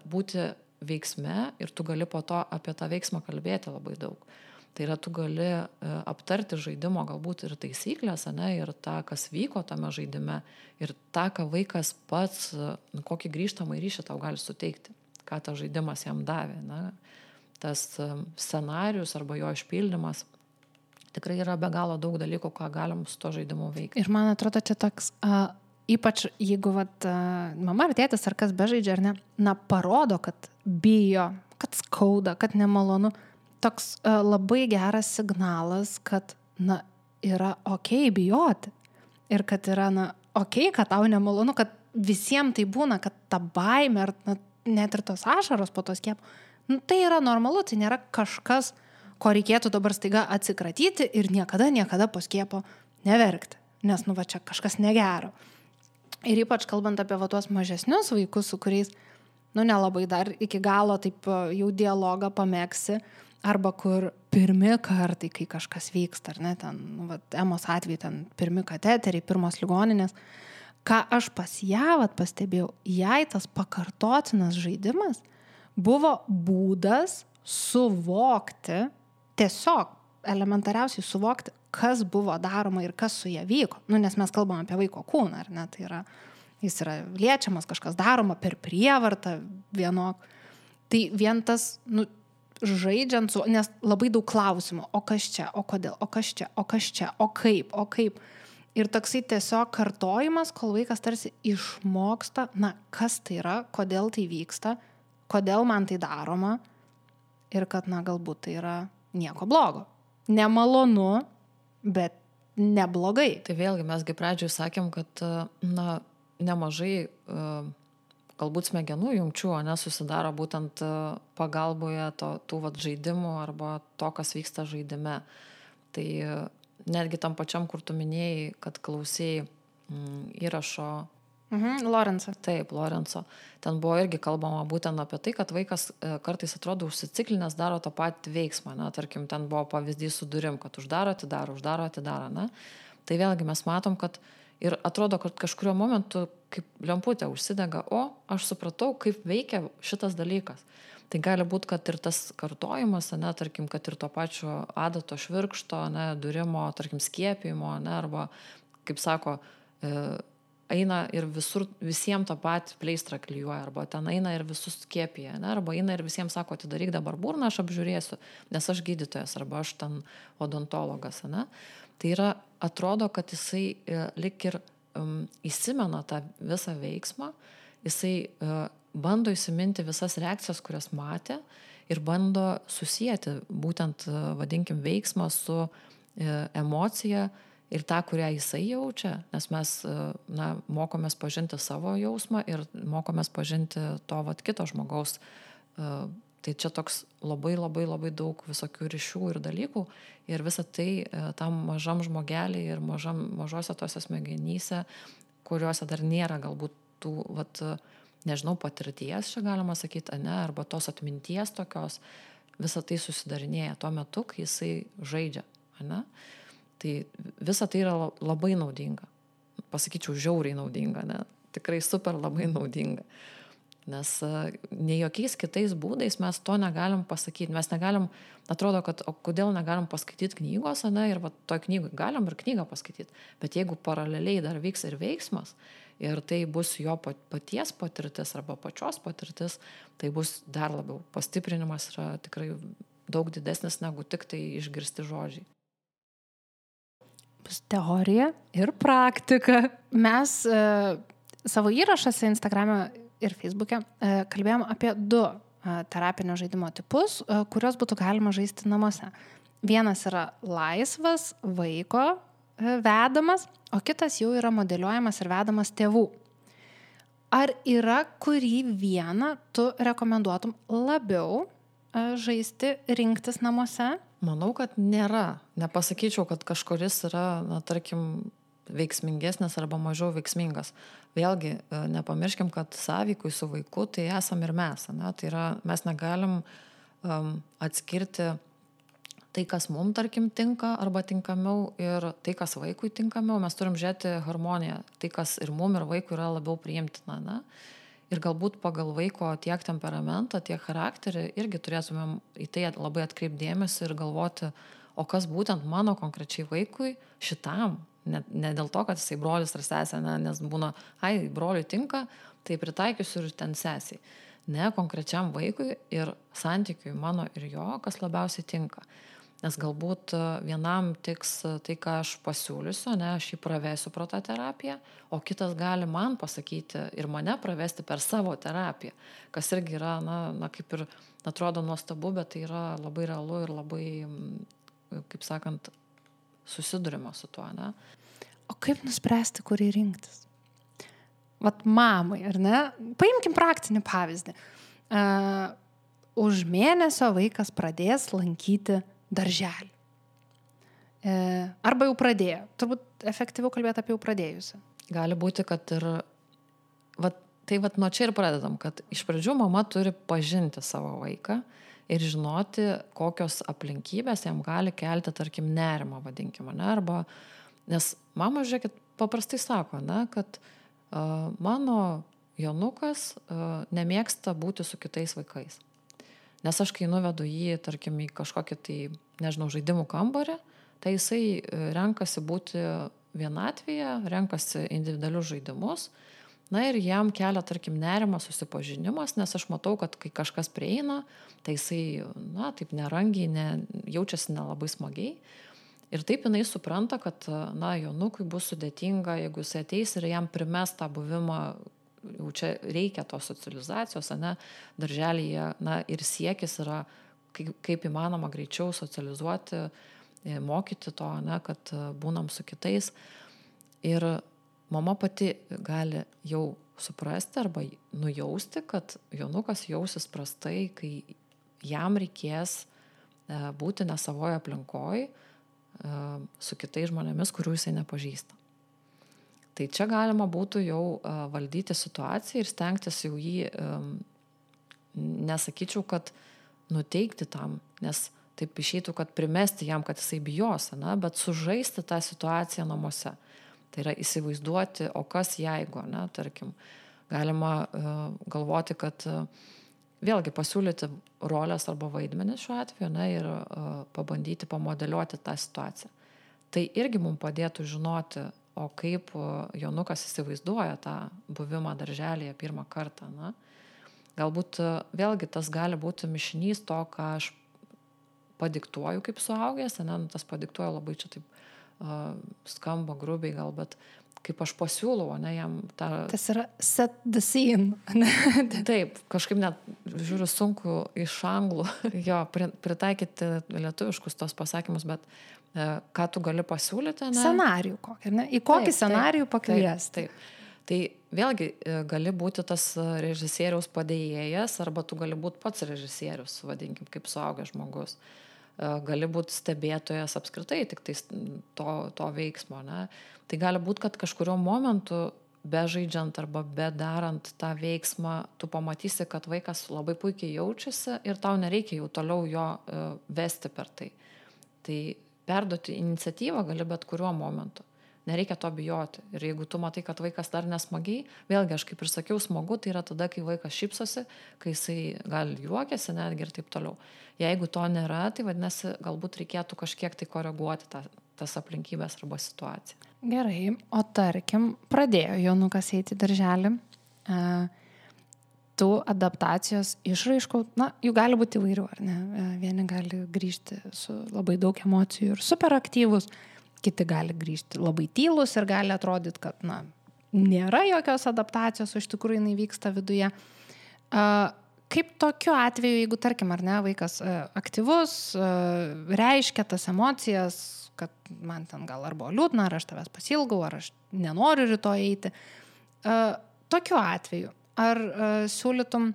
būti veiksme ir tu gali po to apie tą veiksmą kalbėti labai daug. Tai yra, tu gali e, aptarti žaidimo galbūt ir taisyklės, ne, ir tą, kas vyko tame žaidime, ir tą, ką vaikas pats, nu, kokį grįžtamą ryšį tau gali suteikti, ką tas žaidimas jam davė. Ne. Tas e, scenarius arba jo išpildymas. Tikrai yra be galo daug dalykų, ką galim su to žaidimu veikti. Ir man atrodo, čia toks, uh, ypač jeigu vat, uh, mama ar tėtis ar kas bežaidžia, ar ne, na, parodo, kad bijo, kad skauda, kad nemalonu. Toks uh, labai geras signalas, kad, na, yra okei bijoti. Ir kad yra, na, okei, kad tau nemalonu, kad visiems tai būna, kad ta baimė, ar na, net ir tos ašaros po tos skiepų, nu, tai yra normalu, tai nėra kažkas, ko reikėtų dabar staiga atsikratyti ir niekada, niekada po skiepo neverkti, nes, nu, va čia kažkas negero. Ir ypač kalbant apie va tuos mažesnius vaikus, su kuriais, nu, nelabai dar iki galo taip jau dialogą pamėgsi, arba kur pirmi kartai, kai kažkas vyksta, ar ne, ten, nu, va, Emos atveju, ten pirmi kateteriai, pirmos ligoninės, ką aš pas ją vat pastebėjau, jai tas pakartotinas žaidimas buvo būdas suvokti, tiesiog elementariausiai suvokti, kas buvo daroma ir kas su ją vyko. Nu, nes mes kalbam apie vaiko kūną, ar ne? Tai yra, jis yra liečiamas, kažkas daroma per prievartą vienok. Tai vien tas, nu, žaidžiant su, nes labai daug klausimų, o kas čia, o kodėl, o kas čia, o kas čia, o kaip, o kaip. Ir toksai tiesiog kartojimas, kol vaikas tarsi išmoksta, na, kas tai yra, kodėl tai vyksta, kodėl man tai daroma ir kad, na, galbūt tai yra nieko blogo. Nemalonu, bet neblogai. Tai vėlgi mesgi pradžioj sakėm, kad, na, nemažai galbūt smegenų jungčių, ne, susidaro būtent pagalboje to, tų vat žaidimų arba to, kas vyksta žaidime. Tai netgi tam pačiam, kur tu minėjai, kad klausėjai mm, įrašo. Mhm, Lorenzo. Taip, Lorenzo. Ten buvo irgi kalbama būtent apie tai, kad vaikas kartais atrodo užsiciklinęs, daro tą patį veiksmą. Na, tarkim, ten buvo pavyzdys su durim, kad uždaro, atidaro, uždaro, atidaro. Na. Tai vėlgi mes matom, kad ir atrodo, kad kažkurio momentu kaip lemputė užsidega, o aš supratau, kaip veikia šitas dalykas. Tai gali būti, kad ir tas kartojimas, ne, tarkim, kad ir to pačio adato švirkšto, ne, durimo, tarkim, skiepimo, ne, arba, kaip sako, e, eina ir visur, visiems tą patį pleistrą klijuoja, arba ten eina ir visus skiepija, ne, arba eina ir visiems sako, atidaryk dabar burną, aš apžiūrėsiu, nes aš gydytojas, arba aš ten odontologas, ne. Tai yra, atrodo, kad jisai e, lik ir um, įsimena tą visą veiksmą, jisai e, bando įsiminti visas reakcijas, kurias matė ir bando susijęti būtent, vadinkim, veiksmą su e, emocija ir tą, kurią jisai jaučia, nes mes, na, mokomės pažinti savo jausmą ir mokomės pažinti to vat kito žmogaus. Tai čia toks labai, labai, labai daug visokių ryšių ir dalykų ir visą tai tam mažam žmogelį ir mažam, mažose tose smegenyse, kuriuose dar nėra galbūt tų, vat, nežinau, patirties, čia galima sakyti, ne, arba tos atminties tokios, visą tai susidarinėja tuo metu, kai jisai žaidžia, ne. Tai visa tai yra labai naudinga. Pasakyčiau, žiauriai naudinga, ne? Tikrai super labai naudinga. Nes ne jokiais kitais būdais mes to negalim pasakyti. Mes negalim, atrodo, kad o kodėl negalim paskaityti knygos, ne, ir va, toj knygoj galim ir knygą paskaityti. Bet jeigu paraleliai dar vyks ir veiksmas, ir tai bus jo paties patirtis arba pačios patirtis, tai bus dar labiau. Pastiprinimas yra tikrai daug didesnis negu tik tai išgirsti žodžiai. Bus teorija ir praktika. Mes e, savo įrašuose Instagrame ir Facebook'e e, kalbėjom apie du e, terapinio žaidimo tipus, e, kurios būtų galima žaisti namuose. Vienas yra laisvas vaiko e, vedamas, o kitas jau yra modeliuojamas ir vedamas tėvų. Ar yra kurį vieną tu rekomenduotum labiau e, žaisti, rinktis namuose? Manau, kad nėra. Nepasakyčiau, kad kažkuris yra, na, tarkim, veiksmingesnis arba mažiau veiksmingas. Vėlgi, nepamirškim, kad sąveikui su vaiku tai esam ir mes. Ne? Tai yra, mes negalim um, atskirti tai, kas mums, tarkim, tinka arba tinkamiau ir tai, kas vaikui tinkamiau. Mes turim žiūrėti harmoniją. Tai, kas ir mums, ir vaikui yra labiau priimtina. Ne? Ir galbūt pagal vaiko tiek temperamentą, tiek charakterį irgi turėtumėm į tai labai atkreipdėmėsi ir galvoti, o kas būtent mano konkrečiai vaikui šitam. Ne, ne dėl to, kad jisai brolis ar sesė, ne, nes būna, ai, broliui tinka, tai pritaikysiu ir ten sesiai. Ne, konkrečiam vaikui ir santykiui mano ir jo, kas labiausiai tinka. Nes galbūt vienam tiks tai, ką aš pasiūlysiu, ne, aš jį pravesiu pro tą terapiją, o kitas gali man pasakyti ir mane pravesti per savo terapiją, kas irgi yra, na, na kaip ir atrodo nuostabu, bet tai yra labai realu ir labai, kaip sakant, susidurima su tuo, ne. O kaip nuspręsti, kurį rinktis? Vat mamai, ar ne? Paimkim praktinį pavyzdį. Uh, už mėnesio vaikas pradės lankyti darželį. E, arba jau pradėjo. Turbūt efektyviau kalbėti apie jau pradėjusią. Gali būti, kad ir... Vat, tai vat nuo čia ir pradedam, kad iš pradžių mama turi pažinti savo vaiką ir žinoti, kokios aplinkybės jam gali kelti, tarkim, nerimą, vadinkime, ne? Arba, nes mama, žiūrėkit, paprastai sako, ne, kad uh, mano Jonukas uh, nemėgsta būti su kitais vaikais. Nes aš, kai nuvedu jį, tarkim, į kažkokį tai, nežinau, žaidimų kambarį, tai jisai renkasi būti vienatvėje, renkasi individualius žaidimus, na ir jam kelia, tarkim, nerimą susipažinimas, nes aš matau, kad kai kažkas prieina, tai jisai, na, taip nerangiai, ne, jaučiasi nelabai smagiai. Ir taip jinai supranta, kad, na, Jonukui bus sudėtinga, jeigu jisai ateis ir jam primes tą buvimą, jau čia reikia tos socializacijos, ne, darželyje, na, ir siekis yra kaip, kaip įmanoma greičiau socializuoti, mokyti to, ne, kad būnam su kitais. Ir mama pati gali jau suprasti arba nujausti, kad Jonukas jausis prastai, kai jam reikės būti ne savoje aplinkoje su kitais žmonėmis, kurių jisai nepažįsta. Tai čia galima būtų jau uh, valdyti situaciją ir stengtis jau jį, um, nesakyčiau, kad nuteikti tam, nes taip išeitų, kad primesti jam, kad jisai bijos, ne, bet sužaisti tą situaciją namuose. Tai yra įsivaizduoti, o kas jeigu, ne, tarkim, galima uh, galvoti, kad uh, vėlgi pasiūlyti rolės arba vaidmenis šiuo atveju, ne, ir uh, pabandyti pamodeliuoti tą situaciją. Tai irgi mums padėtų žinoti, o kaip Jonukas įsivaizduoja tą buvimą darželyje pirmą kartą. Na? Galbūt vėlgi tas gali būti mišinys to, ką aš padiktuoju kaip suaugęs, ne? Tas padiktuoju labai čia taip uh, skamba grubiai gal, bet kaip aš pasiūlau, ne, jam tą... Tas yra set the scene. Taip, kažkaip net, žiūriu, sunku iš anglų jo pritaikyti lietuviškus tos pasakymus, bet ką tu gali pasiūlyti, ne? Scenarijų kokį, ne? Į kokį taip, scenarijų pakviesti. Taip, taip. Tai vėlgi gali būti tas režisieriaus padėjėjas, arba tu gali būti pats režisierius, vadinkim, kaip suaugęs žmogus. Gali būti stebėtojas apskritai tik tai to, to veiksmo, ne? Tai gali būti, kad kažkurio momentu, bežaidžiant arba bedarant tą veiksmą, tu pamatysi, kad vaikas labai puikiai jaučiasi ir tau nereikia jau toliau jo vesti per tai. Tai perduoti iniciatyvą gali bet kuriuo momentu. nereikia to bijoti. Ir jeigu tu matai, kad vaikas dar nesmagiai, vėlgi aš kaip ir sakiau, smagu, tai yra tada, kai vaikas šypsosi, kai jisai gal juokiasi netgi ir taip toliau. Jeigu to nėra, tai vadinasi, galbūt reikėtų kažkiek tai koreguoti tą, tas aplinkybės arba situaciją. Gerai, o tarkim, pradėjo Jonukas eiti į darželį, e, tų adaptacijos išraiškų, na, jų gali būti įvairių, ar ne? Vieni gali grįžti su labai daug emocijų ir superaktyvus, kiti gali grįžti labai tylus ir gali atrodyti, kad, na, nėra jokios adaptacijos, o iš tikrųjų jinai vyksta viduje. Kaip tokiu atveju, jeigu, tarkim, ar ne, vaikas aktyvus, reiškia tas emocijas, kad man ten gal ar buvo liūdna, ar aš tavęs pasilgau, ar aš nenoriu rytoj eiti. Tokiu atveju, ar uh, siūlytum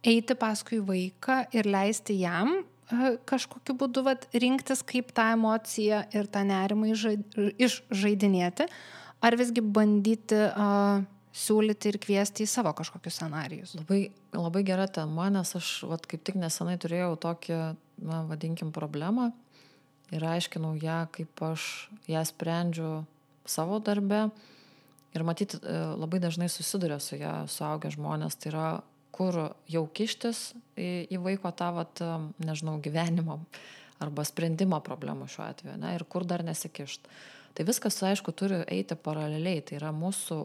eiti paskui vaiką ir leisti jam uh, kažkokiu būdu vat, rinktis, kaip tą emociją ir tą nerimą išžaidinėti, ar visgi bandyti uh, siūlyti ir kviesti į savo kažkokius scenarijus? Labai, labai gera tema, nes aš vat, kaip tik nesenai turėjau tokį, na, vadinkim, problemą ir aiškinau ją, kaip aš ją sprendžiu savo darbe. Ir matyti, labai dažnai susiduria su ją suaugę žmonės, tai yra, kur jau kištis į, į vaiko tą, vat, nežinau, gyvenimo arba sprendimo problemų šiuo atveju, ne, ir kur dar nesikišti. Tai viskas, aišku, turi eiti paraleliai, tai yra mūsų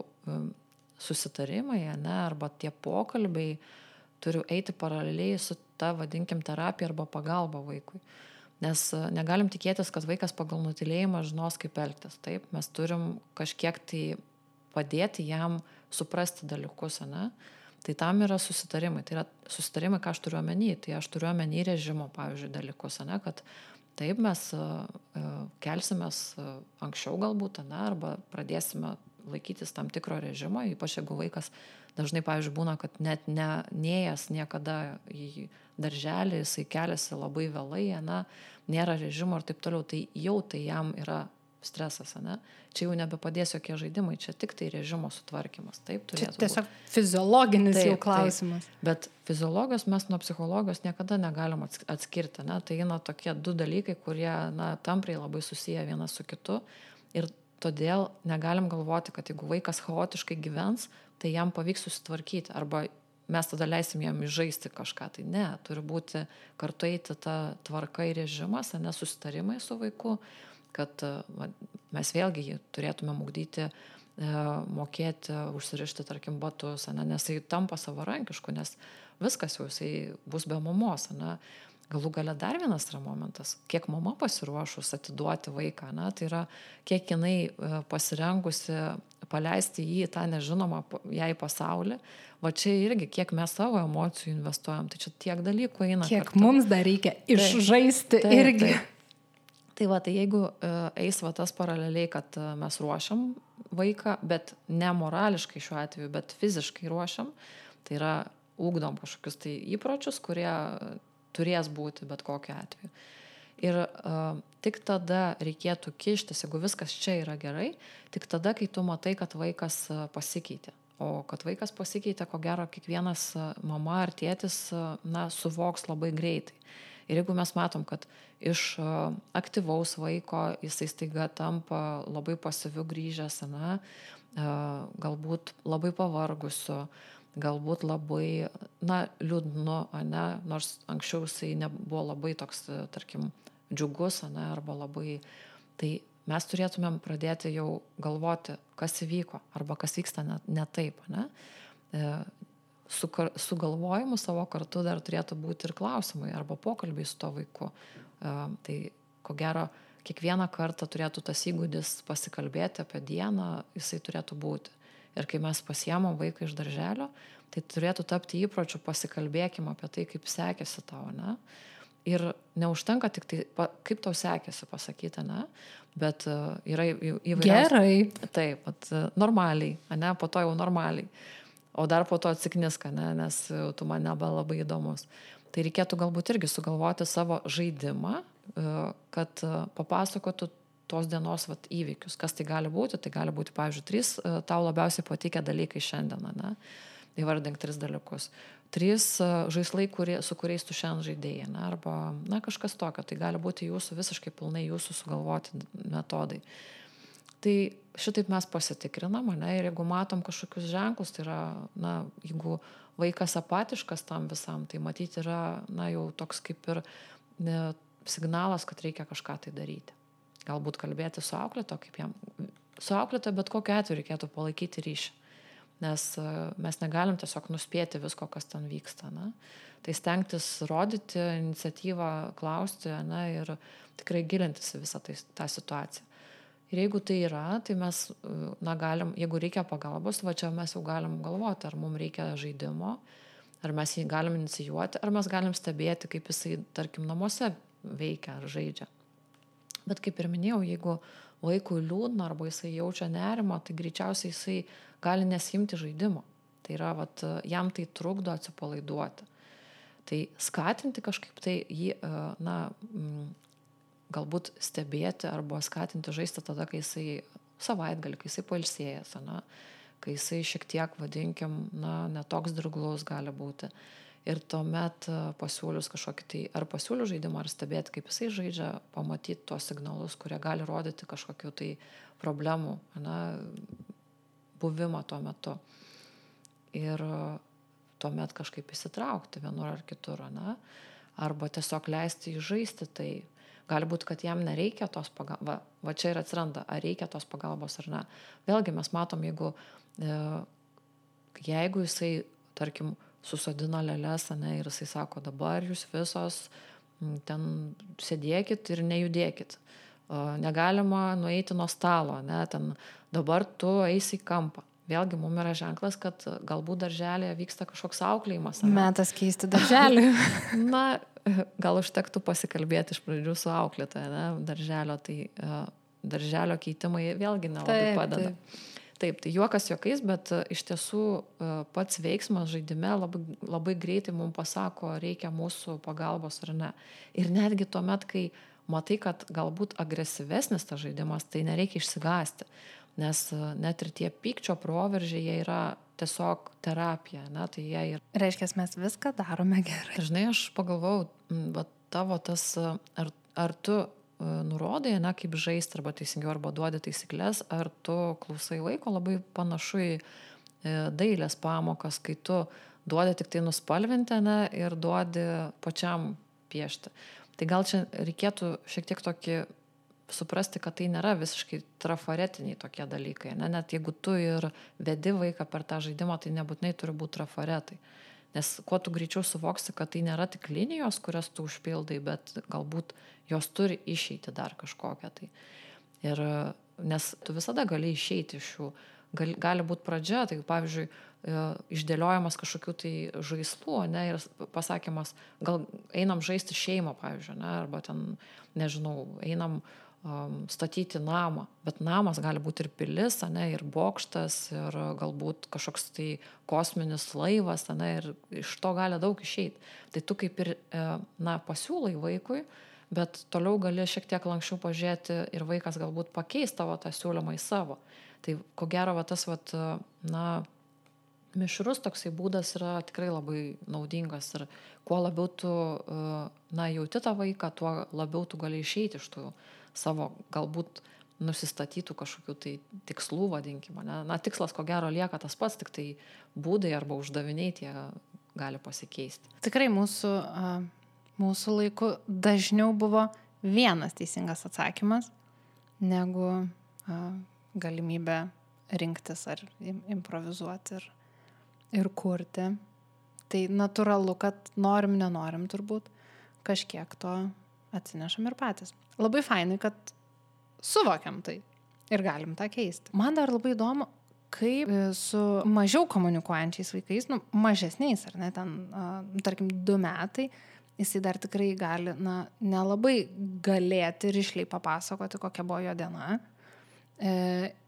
susitarimai, ne, arba tie pokalbiai turi eiti paraleliai su ta, vadinkim, terapija arba pagalba vaikui. Nes negalim tikėtis, kad vaikas pagal nutylėjimą žinos, kaip elgtis. Taip, mes turim kažkiek tai padėti jam suprasti dalykus, ne? Tai tam yra susitarimai. Tai yra susitarimai, ką aš turiu omeny. Tai aš turiu omeny režimo, pavyzdžiui, dalykus, ne? Kad taip mes kelsimės anksčiau galbūt, ne? Arba pradėsime laikytis tam tikro režimo, ypač jeigu vaikas dažnai, pavyzdžiui, būna, kad net ne, neėjęs niekada į darželį, jisai keliasi labai vėlai, ne? Nėra režimo ir taip toliau. Tai jau tai jam yra stresas, ne? Čia jau nebepadės jokie žaidimai, čia tik tai režimo sutvarkymas. Taip, turėtų būti. Čia tiesiog fiziologinis taip, jau klausimas. Taip. Bet fiziologijos mes nuo psichologijos niekada negalim atskirti, ne? Tai yra tokie du dalykai, kurie, na, tampriai labai susiję vienas su kitu. Ir todėl negalim galvoti, kad jeigu vaikas chaotiškai gyvens, tai jam pavyks susitvarkyti. Arba mes tada leisim jam įžaisti kažką. Tai ne, turi būti kartu eiti ta tvarka ir režimas, ne susitarimai su vaiku, kad va, mes vėlgi jį turėtume ugdyti, e, mokėti, užsirišti, tarkim, batus, ne, nes jis tampa savarankišku, nes viskas jau jisai bus be mamos. Ne. Galų gale dar vienas yra momentas, kiek mama pasiruošus atiduoti vaiką, ne, tai yra, kiek jinai pasirengusi paleisti jį tą nežinomą jai pasaulį, va čia irgi, kiek mes savo emocijų investuojam, tai čia tiek dalykų eina. Kiek kartu. Mums dar reikia išžaisti taip, irgi. Taip. Tai va, tai jeigu eis va tas paraleliai, kad mes ruošiam vaiką, bet ne morališkai šiuo atveju, bet fiziškai ruošiam, tai yra ugdom kažkokius tai įpročius, kurie turės būti bet kokiu atveju. Ir uh, tik tada reikėtų kištis, jeigu viskas čia yra gerai, tik tada, kai tu matai, kad vaikas uh, pasikeitė. O kad vaikas pasikeitė, ko gero, kiekvienas uh, mama ar tėtis uh, na, suvoks labai greitai. Ir jeigu mes matom, kad iš uh, aktyvaus vaiko jisai staiga tampa labai pasyviu grįžęs, na, uh, galbūt labai pavargusiu, galbūt labai, na, liūdnu, ne, nors anksčiau jisai nebuvo labai toks, tarkim, džiugus, ne, arba labai, tai mes turėtumėm pradėti jau galvoti, kas įvyko, arba kas vyksta ne, ne taip, ne. E, su, su galvojimu savo kartu dar turėtų būti ir klausimai, arba pokalbiai su to vaiku. E, tai, ko gero, kiekvieną kartą turėtų tas įgūdis pasikalbėti apie dieną, jisai turėtų būti. Ir kai mes pasiemam vaiką iš darželio, tai turėtų tapti įpročiu, pasikalbėkim apie tai, kaip sekėsi tau, ne? Ir neužtenka tik tai, kaip tau sekėsi pasakyti, ne? Bet uh, yra įvairiausių. Gerai. Taip, bet uh, normaliai, ne? Po to jau normaliai. O dar po to atsikniska, ne? Nes uh, tu man nebe labai įdomus. Tai reikėtų galbūt irgi sugalvoti savo žaidimą, uh, kad uh, papasakotų tos dienos vat, įvykius. Kas tai gali būti? Tai gali būti, pavyzdžiui, trys uh, tau labiausiai patikę dalykai šiandieną, ne? Įvardink tris dalykus. Trys uh, žaislai, kurie, su kuriais tu šiandien žaidėjai, ne? Arba na, kažkas tokio. Tai gali būti jūsų visiškai pilnai jūsų sugalvoti metodai. Tai šitaip mes pasitikrinam, ne, ir jeigu matom kažkokius ženklus, tai yra, na, jeigu vaikas apatiškas tam visam, tai matyti yra, na, jau toks kaip ir ne, signalas, kad reikia kažką tai daryti. Galbūt kalbėti su auklėto, kaip jam, su auklėto, bet kokiu atveju reikėtų palaikyti ryšį, nes mes negalim tiesiog nuspėti visko, kas ten vyksta, na. Tai stengtis rodyti iniciatyvą, klausti, na, ir tikrai gilintis į visą tai, tą situaciją. Ir jeigu tai yra, tai mes, na, galim, jeigu reikia pagalbos, va čia mes jau galim galvoti, ar mums reikia žaidimo, ar mes jį galim inicijuoti, ar mes galim stebėti, kaip jisai, tarkim, namuose veikia ar žaidžia. Bet kaip ir minėjau, jeigu vaikui liūdna arba jisai jaučia nerimą, tai greičiausiai jisai gali nesimti žaidimo. Tai yra, vat, jam tai trukdo atsipalaiduoti. Tai skatinti kažkaip tai jį, na, galbūt stebėti arba skatinti žaisti tada, kai jisai savaitgalį, kai jisai pailsėjęs, na, kai jisai šiek tiek, vadinkim, na, netoks dirglus gali būti. Ir tuomet pasiūlius kažkokį tai, ar pasiūlius žaidimą, ar stebėti, kaip jisai žaidžia, pamatyti tuos signalus, kurie gali rodyti kažkokių tai problemų, na, buvimą tuo metu. Ir tuomet kažkaip įsitraukti vienur ar kitur, na, arba tiesiog leisti jį žaisti, tai gali būti, kad jam nereikia tos pagalbos, va, va čia ir atsiranda, ar reikia tos pagalbos ar ne. Vėlgi mes matom, jeigu, e, jeigu jisai, tarkim, susodina lėles, ne, ir jisai sako, dabar jūs visos ten sėdėkit ir nejudėkit. O, negalima nueiti nuo stalo, ne, ten dabar tu eisi į kampą. Vėlgi mums yra ženklas, kad galbūt darželėje vyksta kažkoks auklėjimas. Ne? Metas keisti darželį. Na, gal užtektų pasikalbėti iš pradžių su auklėtoja, ne, darželio, tai uh, darželio keitimai vėlgi nelabai taip, padeda. Taip. Taip, tai juokas juokais, bet uh, iš tiesų uh, pats veiksmas žaidime labai, labai greitai mums pasako, reikia mūsų pagalbos ar ne. Ir netgi tuomet, kai matai, kad galbūt agresyvesnis tas žaidimas, tai nereikia išsigąsti. Nes net ir tie pykčio proveržiai, jie yra tiesiog terapija, ne, tai jie yra. Reiškia, mes viską darome gerai. Žinai, aš pagalvojau, va, tavo tas, ar, ar tu nurodai, ne, kaip žaisti, arba teisingiau, arba duodi taisyklės, ar tu klausai laiko, labai panašu į dailės pamokas, kai tu duodi tik tai nuspalvinti, ne, ir duodi pačiam piešti. Tai gal čia reikėtų šiek tiek tokį suprasti, kad tai nėra visiškai trafaretiniai tokie dalykai. Ne? Net jeigu tu ir vedi vaiką per tą žaidimą, tai nebūtinai turi būti trafaretai. Nes kuo tu greičiau suvoksi, kad tai nėra tik linijos, kurias tu užpildai, bet galbūt jos turi išeiti dar kažkokią. Tai. Ir, nes tu visada gali išeiti iš jų. Gali, gali būti pradžia, tai pavyzdžiui, išdėliojamas kažkokių tai žaislų, ne, ir pasakymas, gal einam žaisti šeimą, pavyzdžiui, ne, arba ten, nežinau, einam statyti namą, bet namas gali būti ir pilis, ne, ir bokštas, ir galbūt kažkoks tai kosminis laivas, ne, ir iš to gali daug išeiti. Tai tu kaip ir, na, pasiūlai vaikui, bet toliau gali šiek tiek lankščiau pažiūrėti ir vaikas galbūt pakeis tavo tą siūlymą į savo. Tai ko gero, va, tas, va, na, mišrus toksai būdas yra tikrai labai naudingas ir kuo labiau tu, na, jauti tą vaiką, tuo labiau tu gali išeiti iš tų savo galbūt nusistatytų kažkokių tai tikslų, vadinkime. Ne? Na, tikslas ko gero lieka tas pats, tik tai būdai arba uždaviniai tie gali pasikeisti. Tikrai mūsų, mūsų laiku dažniau buvo vienas teisingas atsakymas, negu galimybė rinktis ar improvizuoti ir, ir kurti. Tai natūralu, kad norim, nenorim turbūt, kažkiek to atsinešam ir patys. Labai fainai, kad suvokiam tai ir galim tą keisti. Man dar labai įdomu, kaip su mažiau komunikuojančiais vaikais, nu, mažesniais, ar ne, ten, tarkim, du metai, jisai dar tikrai gali, na, nelabai galėti rišliai papasakoti, kokia buvo jo diena. E,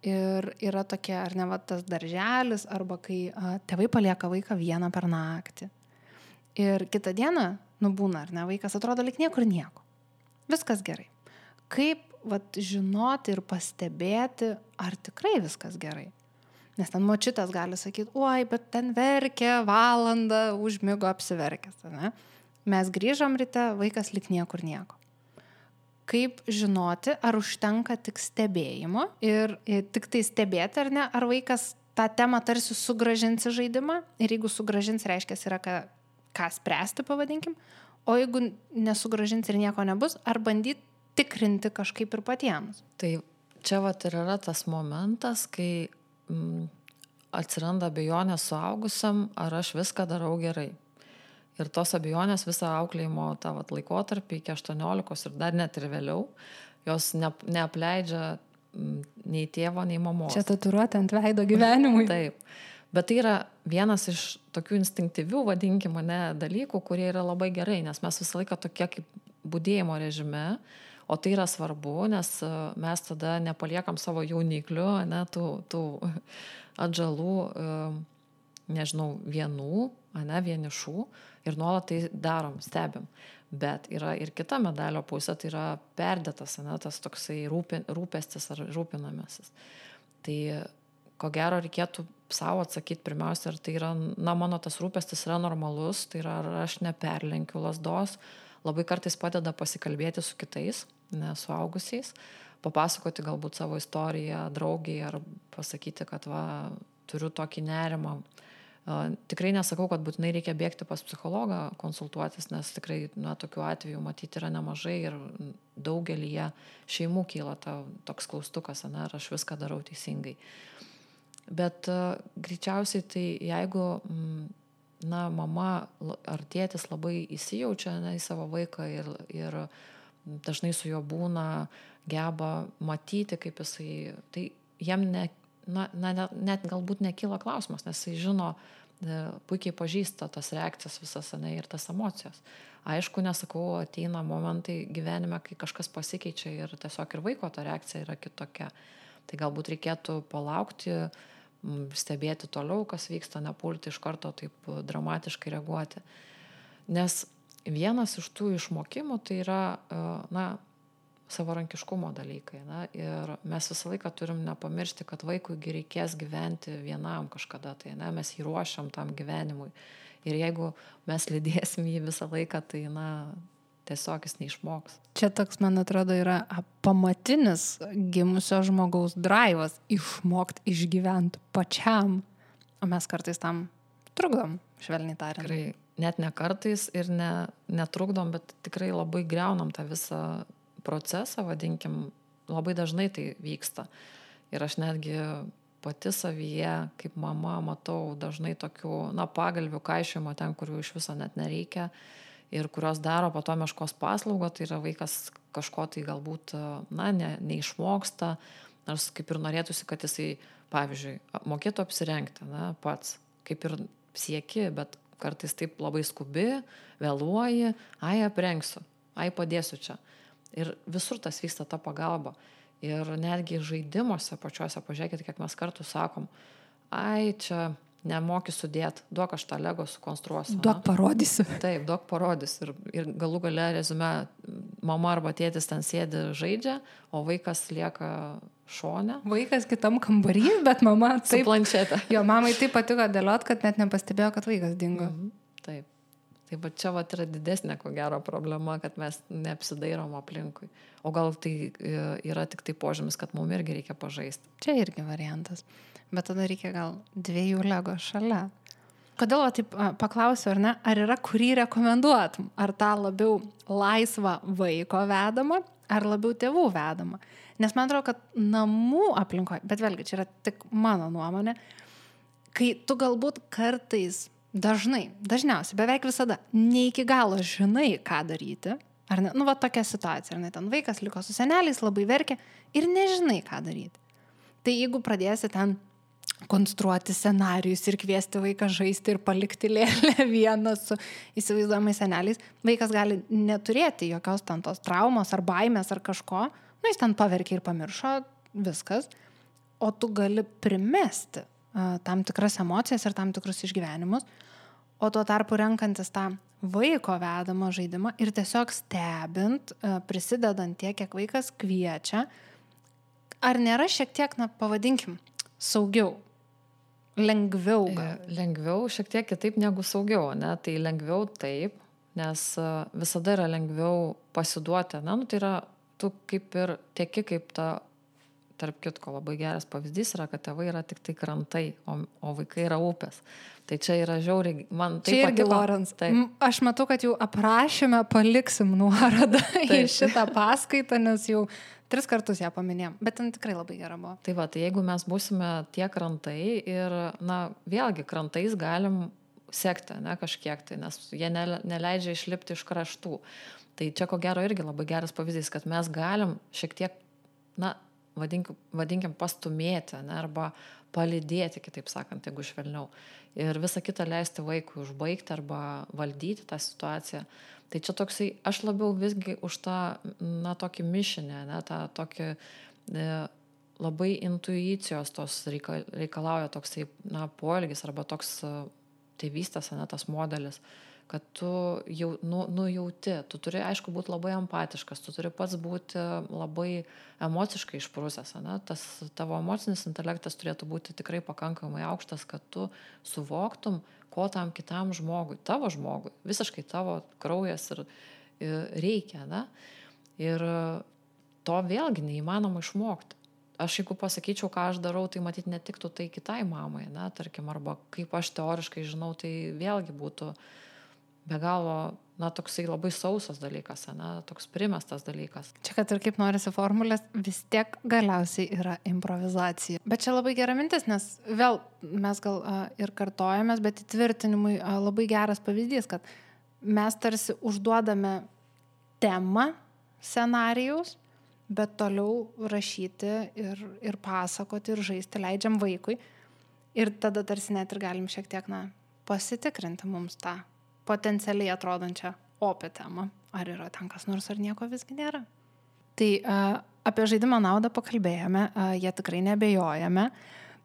ir yra tokie, ar ne, va, tas darželis, arba kai a, tėvai palieka vaiką vieną per naktį. Ir kitą dieną, nu, būna, ar ne, vaikas atrodo lyg niekur nieko. Viskas gerai. Kaip, vat, žinoti ir pastebėti, ar tikrai viskas gerai. Nes ten močiutės gali sakyti, oi, bet ten verkė valandą, užmigo apsiverkęs. Ne? Mes grįžom ryte, vaikas lyg niekur nieko. kaip žinoti, ar užtenka tik stebėjimo ir, ir tik tai stebėti, ar ne, ar vaikas tą temą tarsi sugražins į žaidimą ir jeigu sugražins, reiškia, yra ką, ką spręsti, pavadinkim, o jeigu nesugražins ir nieko nebus, ar bandyti tikrinti kažkaip ir patiems. Tai čia vat ir yra tas momentas, kai mm, atsiranda abejonės suaugusiam, ar aš viską darau gerai. Ir tos abejonės visą auklėjimo tą vat laikotarpį iki aštuoniolikos ir dar net ir vėliau, jos ne, neapleidžia mm, nei tėvo, nei mamos. Čia tatuiruotė ant veido gyvenimui. Taip. Bet tai yra vienas iš tokių instinktyvių, vadinkime, ne, dalykų, kurie yra labai gerai, nes mes visą laiką tokie kaip budėjimo režime, o tai yra svarbu, nes mes tada nepaliekam savo jauniklių, ne, tų, tų atžalų, nežinau, vienų, ne, vienišų ir nuolat tai darom, stebim. Bet yra ir kita medalio pusė, tai yra perdėtas, ne, tas toksai rūpin, rūpestis ar rūpinamasis. Tai ko gero reikėtų savo atsakyti pirmiausia, ar tai yra, na, mano tas rūpestis yra normalus, tai yra, ar aš neperlenkiu lazdos. Labai kartais padeda pasikalbėti su kitais, ne, suaugusiais, papasakoti galbūt savo istoriją draugiai ar pasakyti, kad va, turiu tokį nerimą. Tikrai nesakau, kad būtinai reikia bėgti pas psichologą konsultuotis, nes tikrai, na, tokių atvejų matyti yra nemažai ir daugelyje šeimų kyla ta, toks klaustukas, ne, ar aš viską darau teisingai. Bet uh, greičiausiai tai jeigu, na, mama ar tėtis labai įsijaučia, ne, į savo vaiką ir, ir dažnai su juo būna, geba matyti, kaip jisai, tai jam ne, na, na, net galbūt nekyla klausimas, nes jisai žino, puikiai pažįsta tas reakcijas visas, ne, ir tas emocijos. Aišku, nesakau, ateina momentai gyvenime, kai kažkas pasikeičia ir tiesiog ir vaiko ta reakcija yra kitokia. Tai galbūt reikėtų palaukti, stebėti toliau, kas vyksta, nepulti iš karto taip dramatiškai reaguoti. Nes vienas iš tų išmokimų tai yra, na, savarankiškumo dalykai. Na, ir mes visą laiką turim nepamiršti, kad vaikui reikės gyventi vienam kažkada, tai ne, mes jį ruošiam tam gyvenimui. Ir jeigu mes lydėsim jį visą laiką, tai, na, tiesiog jis neišmoks. Čia toks, man atrodo, yra pamatinis gimusio žmogaus draivas išmokti išgyventi pačiam. O mes kartais tam trukdom, švelniai tariant. Tikrai, net ne kartais ir ne, netrukdom, bet tikrai labai griaunam tą visą procesą, vadinkim, labai dažnai tai vyksta. Ir aš netgi pati savyje, kaip mama, matau dažnai tokių, na, pagalvių kaišiojimo ten, kurių iš viso net nereikia ir kurios daro po to meškos paslaugą, tai yra vaikas kažko tai galbūt, na, ne, neišmoksta, nors kaip ir norėtųsi, kad jisai, pavyzdžiui, mokėtų apsirengti, na, pats, kaip ir sieki, bet kartais taip labai skubi, vėluoji, ai aprengsiu, ai padėsiu čia. Ir visur tas vyksta ta pagalba. Ir netgi žaidimuose pačiuose, pažiūrėkite, kiek mes kartu sakom, ai, čia nemoki sudėti, duok aš tą Lego sukonstruosiu. Duok parodysiu. Taip, duok parodysiu. Ir, ir galų gale rezume, mama arba tėtis ten sėdi žaidžia, o vaikas lieka šone. Vaikas kitam kambarį, bet mama taip. Su planšetė. Jo, mamai taip patiko dėliot, kad net nepastebėjo, kad vaikas dingo. Mhm, taip. Tai va čia va yra didesnė, ko gero, problema, kad mes neapsidairom aplinkui. O gal tai yra tik tai požymis, kad mums irgi reikia pažaisti. Čia irgi variantas. Bet tada reikia gal dviejų Lego šalia. Kodėl taip paklausiu, ar ne, ar yra kurį rekomenduotum? Ar tą labiau laisvą vaiko vedamą, ar labiau tėvų vedamą? Nes man atrodo, kad namų aplinkoje, bet vėlgi, čia yra tik mano nuomonė, kai tu galbūt kartais dažnai, dažniausiai, beveik visada, ne iki galo žinai, ką daryti, ar ne, nu va tokia situacija, ar ne, ten vaikas liko su seneliais, labai verkia ir nežinai, ką daryti. Tai jeigu pradėsi ten konstruoti scenarijus ir kviesti vaiką žaisti ir palikti lėlę vieną su įsivaizduojamais seneliais, vaikas gali neturėti jokios ten tos traumos ar baimės ar kažko, nu jis ten paverkė ir pamiršo, viskas, o tu gali primesti tam tikras emocijas ir tam tikrus išgyvenimus, o tuo tarpu renkantis tą vaiko vedamą žaidimą ir tiesiog stebint, prisidedant tiek, kiek vaikas kviečia, ar nėra šiek tiek, na, pavadinkim, saugiau, lengviau gal? Lengviau, šiek tiek kitaip negu saugiau, ne? Tai lengviau taip, nes visada yra lengviau pasiduoti, ne? Nu, tai yra tu kaip ir tieki kaip ta, tarp kitko, labai geras pavyzdys yra, kad tėvai yra tik tai krantai, o, o vaikai yra upės. Tai čia yra žiauriai, man tai čia irgi, patiko. Lorenz, Tai. Aš matau, kad jau aprašyme paliksim nuorodą į šitą paskaitą, nes jau tris kartus ją paminėjom, bet ten tikrai labai gera buvo. Tai va, tai jeigu mes būsime tie krantai ir, na, vėlgi, krantais galim sekti, ne, kažkiek tai, nes jie neleidžia išlipti iš kraštų. Tai čia ko gero irgi labai geras pavyzdys, kad mes galim šiek tiek, na, vadinkim, vadinkim pastumėti, ne, arba palydėti, kitaip sakant, jeigu švelniau. Ir visą kitą leisti vaikui užbaigti arba valdyti tą situaciją. Tai čia toksai, aš labiau visgi už tą, na, tokį mišinę, ne, tą tokį e, labai intuicijos tos reikal, reikalauja toksai, na, poelgis arba toks tėvystės, ne, tas modelis, kad tu jau nu, nujauti, tu turi, aišku, būti labai empatiškas, tu turi pats būti labai emociškai išprusęs, ne? Tas tavo emocinis intelektas turėtų būti tikrai pakankamai aukštas, kad tu suvoktum, ko tam kitam žmogui, tavo žmogui, visiškai tavo kraujas ir, ir reikia, ne? Ir to vėlgi neįmanoma išmokti. Aš jeigu pasakyčiau, ką aš darau, tai matyt netiktų tai kitai mamai, ne, tarkim, arba kaip aš teoriškai žinau, tai vėlgi būtų be galo, na, toksai labai sausas dalykas, ne, toks primestas dalykas. Čia, kad ir kaip norisi formulės, vis tiek galiausiai yra improvizacija. Bet čia labai gera mintis, nes vėl mes gal a, ir kartojamės, bet įtvirtinimui a, labai geras pavyzdys, kad mes tarsi užduodame temą scenarijaus, bet toliau rašyti ir, ir pasakoti ir žaisti leidžiam vaikui. Ir tada tarsi net ir galim šiek tiek, na, pasitikrinti mums tą potencialiai atrodančią opę temą. Ar yra ten kas nors, ar nieko visgi nėra. Tai a, apie žaidimo naudą pakalbėjome, a, jie tikrai nebejojame,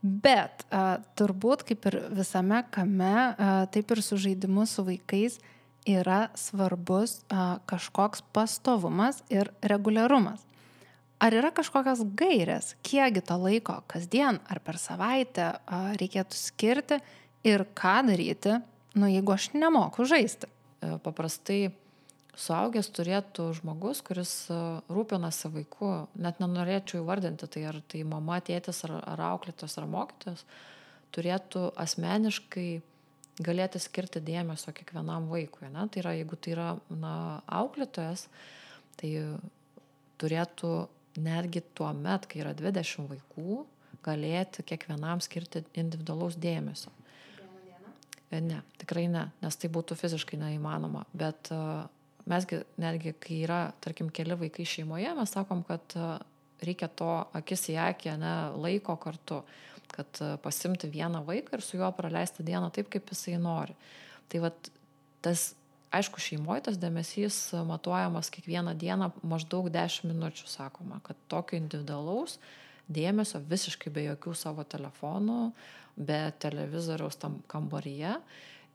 bet a, turbūt kaip ir visame kame, a, taip ir su žaidimu su vaikais yra svarbus a, kažkoks pastovumas ir reguliarumas. Ar yra kažkokios gairės, kiekgi to laiko kasdien ar per savaitę a, reikėtų skirti ir ką daryti, nu, jeigu aš nemoku žaisti? Paprastai suaugęs turėtų žmogus, kuris rūpinasi vaiku, net nenorėčiau įvardinti, tai ar tai mama, tėtis, ar, ar auklėtas, ar mokytojas, turėtų asmeniškai galėti skirti dėmesio kiekvienam vaikui. Ne? Tai yra, jeigu tai yra, na, auklėtojas, tai turėtų netgi tuo met, kai yra dvidešimt vaikų, galėti kiekvienam skirti individualaus dėmesio. Ne, tikrai ne, nes tai būtų fiziškai neįmanoma, bet uh, mesgi netgi, kai yra, tarkim, keli vaikai šeimoje, mes sakom, kad uh, reikia to akis į akį, ne, laiko kartu, kad uh, pasimti vieną vaiką ir su juo praleisti dieną taip, kaip jisai nori. Tai vat, tas, aišku, šeimoje tas dėmesys matuojamas kiekvieną dieną maždaug dešimt minučių, sakoma, kad tokio individualaus dėmesio visiškai be jokių savo telefonų, be televizoriaus tam kambaryje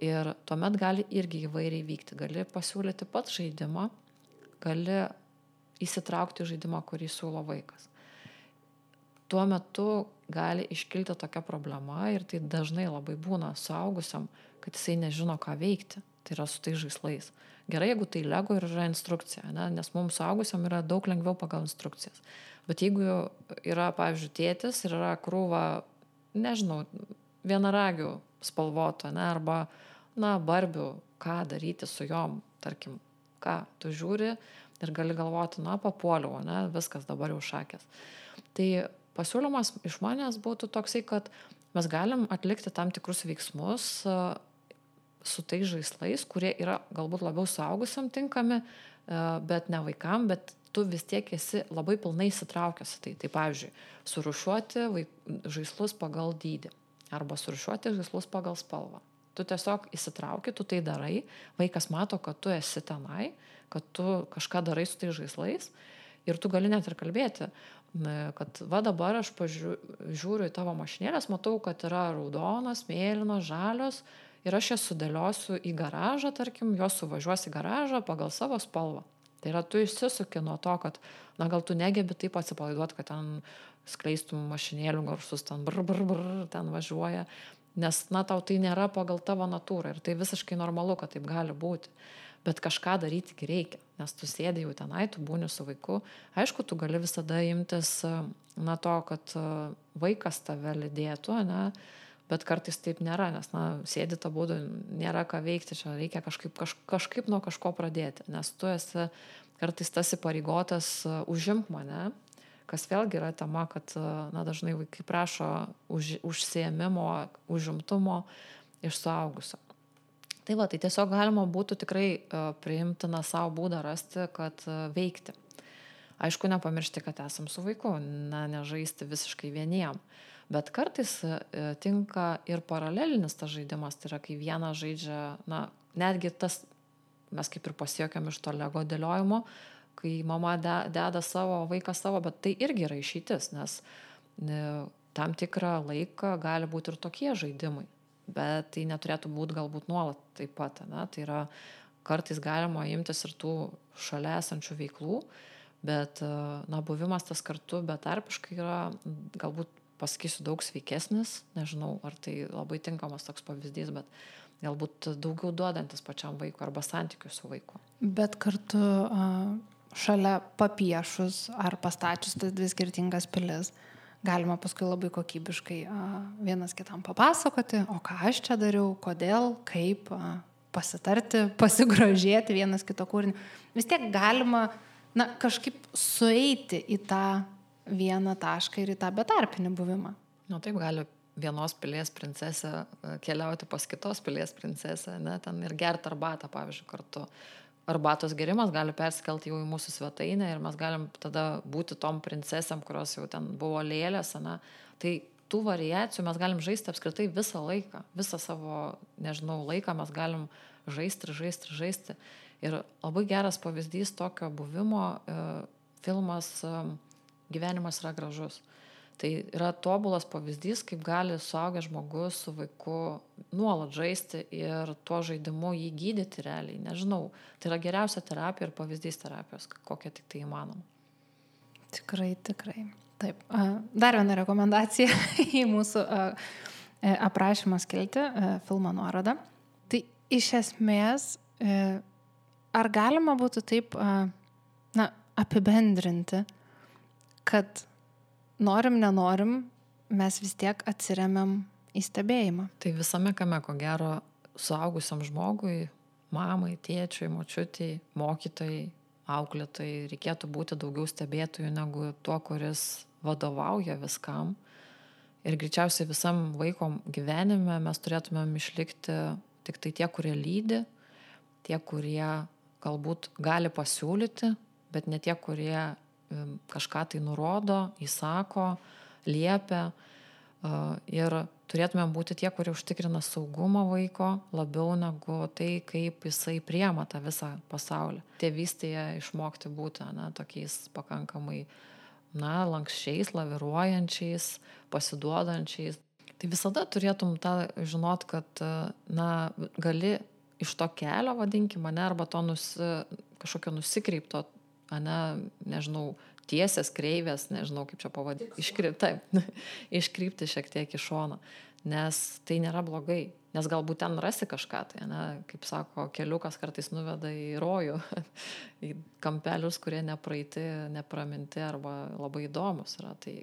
ir tuomet gali irgi įvairiai vykti. Gali pasiūlyti pats žaidimą, gali įsitraukti į žaidimą, kurį siūlo vaikas. Tuo metu gali iškilti tokia problema ir tai dažnai labai būna suaugusiam, kad jisai nežino, ką veikti. Tai yra su tai žaislais. Gerai, jeigu tai Lego ir yra instrukcija, ne? Nes mums suaugusiam yra daug lengviau pagal instrukcijas. Bet jeigu yra, pavyzdžiui, tėtis ir yra krūva, nežinau, vienaragių spalvoto, ne, arba, na, barbių, ką daryti su jom, tarkim, ką tu žiūri ir gali galvoti, na, papuoliau, ne, viskas dabar jau šakės. Tai pasiūlymas iš manęs būtų toksai, kad mes galim atlikti tam tikrus veiksmus su tais žaislais, kurie yra galbūt labiau suaugusiam tinkami, bet ne vaikam, bet tu vis tiek esi labai pilnai įsitraukęs į tai. Tai pavyzdžiui, surūšiuoti vaik... žaislus pagal dydį arba surūšiuoti žaislus pagal spalvą. Tu tiesiog įsitrauki, tu tai darai, vaikas mato, kad tu esi tenai, kad tu kažką darai su tai žaislais ir tu gali net ir kalbėti, kad va dabar aš pažiūriu į tavo mašinėlės, matau, kad yra raudonas, mėlynas, žalios ir aš jas sudėliosiu į garažą, tarkim, jos suvažiuos į garažą pagal savo spalvą. Tai yra, tu išsisuki nuo to, kad, na, gal tu negebi taip atsipalaiduoti, kad ten skleistum mašinėlių garsus, ten brr, brr, brr, ten važiuoja. nes, na, tau tai nėra pagal tavo natūrą ir tai visiškai normalu, kad taip gali būti. Bet kažką daryti reikia, nes tu sėdė jau tenai, tu būni su vaiku. Aišku, tu gali visada imtis, na, to, kad vaikas tave lydėtų, ne, bet kartais taip nėra, nes, na, sėdi tą būdų, nėra ką veikti, čia reikia kažkaip, kaž, kažkaip nuo kažko pradėti, nes tu esi kartais tas įpareigotas užimk mane, kas vėlgi yra tema, kad, na, dažnai vaikai prašo už, užsiėmimo, užimtumo iš suaugusio. Tai va, tai tiesiog galima būtų tikrai uh, priimtiną savo būdą rasti, kad uh, veikti. Aišku, nepamiršti, kad esam su vaiku, na, nežaisti visiškai vieniem. Bet kartais uh, tinka ir paralelinis tas žaidimas, tai yra, kai vienas žaidžia, na, netgi tas, mes kaip ir pasiekėm iš to Lego dėliojimo, kai mama deda savo, vaikas savo, bet tai irgi yra išeitis, nes ne, tam tikrą laiką gali būti ir tokie žaidimai. Bet tai neturėtų būti galbūt nuolat taip pat. Ne? Tai yra, kartais galima imtis ir tų šalia esančių veiklų, bet, na, buvimas tas kartu betarpiškai yra, galbūt pasakysiu, daug sveikesnis, nežinau, ar tai labai tinkamas toks pavyzdys, bet galbūt daugiau duodantis pačiam vaikui arba santykių su vaiku. Bet kartu šalia papiešus ar pastačius tas dvi skirtingas pilis, galima paskui labai kokybiškai vienas kitam papasakoti, o ką aš čia dariau, kodėl, kaip, pasitarti, pasigrožėti vienas kito kūrinį. Vis tiek galima, na, kažkaip sueiti į tą vieną tašką ir į tą betarpinį buvimą. Na, taip gali vienos pilies princesė keliauti pas kitos pilies princesę, ne, ten ir gerti arbatą, pavyzdžiui, kartu. Arbatos gerimas gali persikelti jau į mūsų svetainę ir mes galim tada būti tom princesėm, kurios jau ten buvo lėlės, ne. Tai tų variacijų mes galim žaisti apskritai visą laiką, visą savo, nežinau, laiką mes galim žaisti, žaisti, žaisti. Ir labai geras pavyzdys tokio buvimo e, filmas e, Gyvenimas yra gražus. Tai yra tobulas pavyzdys, kaip gali suaugęs žmogus su vaiku nuolat žaisti ir tuo žaidimu jį gydyti realiai. Nežinau, tai yra geriausia terapija ir pavyzdys terapijos, kokia tik tai įmanoma. Tikrai, tikrai. Taip. Dar viena rekomendacija į mūsų aprašymą skilti, filmo nuorodą. Tai iš esmės, ar galima būtų taip, na, apibendrinti, kad norim, nenorim, mes vis tiek atsiremiam į stebėjimą. Tai visame kame, ko gero, suaugusiam žmogui, mamai, tėčiui, močiutei, mokytojai, auklėtojai, reikėtų būti daugiau stebėtojų negu tuo, kuris vadovauja viskam. Ir greičiausiai visam vaiko gyvenime mes turėtumėm išlikti tik tai tie, kurie lydi, tie, kurie galbūt gali pasiūlyti, bet ne tie, kurie kažką tai nurodo, įsako, liepia ir turėtumėm būti tie, kurie užtikrina saugumą vaiko labiau negu tai, kaip jisai priema tą visą pasaulį. Tėvystėje išmokti būti, na, tokiais pakankamai, na, lankščiais, laviruojančiais, pasiduodančiais. Tai visada turėtum tą žinot, kad, na, gali iš to kelio, vadinkim, ne, arba to nusi, kažkokio nusikreipto, ane, nežinau, tiesės, kreivės, nežinau, kaip čia pavadinti, iškrypti, taip, iškrypti šiek tiek į šoną, nes tai nėra blogai, nes galbūt ten rasi kažką, tai, ne, kaip sako, keliukas kartais nuveda į rojų, į kampelius, kurie nepraeiti, nepraminti arba labai įdomus yra, tai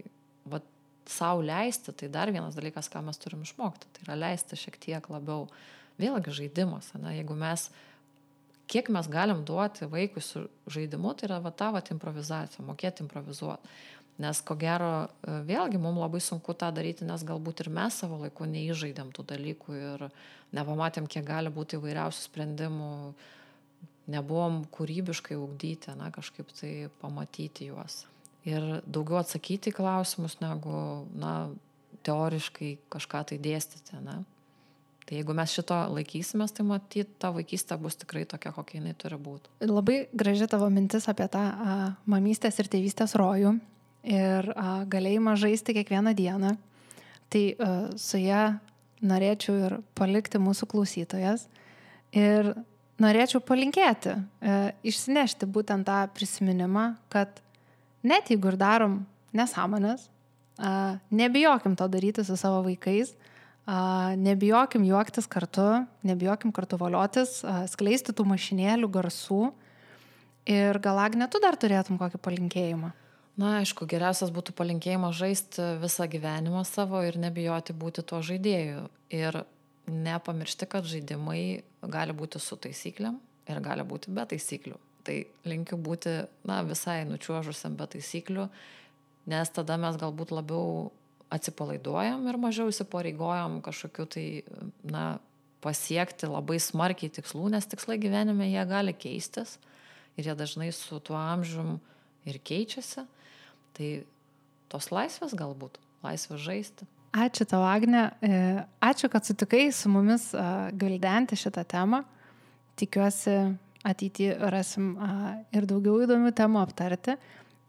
va, sau leisti, tai dar vienas dalykas, ką mes turim išmokti, tai yra leisti šiek tiek labiau, vėlgi žaidimas, ne, jeigu mes kiek mes galim duoti vaikui su žaidimu, tai yra va ta va improvizacija, mokėti improvizuoti. Nes ko gero, vėlgi mums labai sunku tą daryti, nes galbūt ir mes savo laiku neįžaidėm tų dalykų ir nepamatėm, kiek gali būti įvairiausių sprendimų, nebuvom kūrybiškai ugdyti, na, kažkaip tai pamatyti juos. Ir daugiau atsakyti į klausimus, negu, na, teoriškai kažką tai dėstyti, ne. Tai jeigu mes šito laikysimės, tai matyt, ta vaikystė bus tikrai tokia, kokia jinai turi būti. Labai graži tavo mintis apie tą a, mamystės ir tėvystės rojų ir a, galėjimą žaisti kiekvieną dieną. Tai a, su ją norėčiau ir palikti mūsų klausytojas ir norėčiau palinkėti, a, išsinešti būtent tą prisiminimą, kad net jeigu ir darom nesąmonės, a, nebijokim to daryti su savo vaikais, nebijokim juoktis kartu, nebijokim kartu voliotis, skleisti tų mašinėlių garsų. Ir gal, Agne, tu dar turėtum kokį palinkėjimą? Na, aišku, geriausias būtų palinkėjimas žaisti visą gyvenimą savo ir nebijoti būti tuo žaidėju. Ir nepamiršti, kad žaidimai gali būti su taisyklėm ir gali būti be taisyklių. Tai linkiu būti, na, visai nučiuožusiam be taisyklių, nes tada mes galbūt labiau atsipalaiduojam ir mažiau įsipareigojam kažkokiu tai, na, pasiekti labai smarkiai tikslų, nes tikslai gyvenime jie gali keistis ir jie dažnai su tuo amžium ir keičiasi. Tai tos laisvės galbūt, laisvės žaisti. Ačiū tau, Agne. Ačiū, kad sutikai su mumis gvildenti šitą temą. Tikiuosi, ateityje rasim ir daugiau įdomių temų aptarti.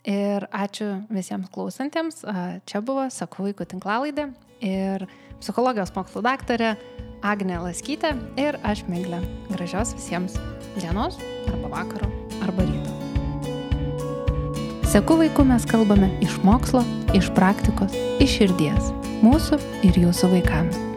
Ir ačiū visiems klausantiems. Čia buvo Seku vaikų tinklalaidė ir psichologijos mokslų daktarė Agnė Laskytė ir aš, Miglė. Gražios visiems dienos arba vakaro arba ryto. Seku vaikų mes kalbame iš mokslo, iš praktikos, iš širdies. Mūsų ir jūsų vaikams.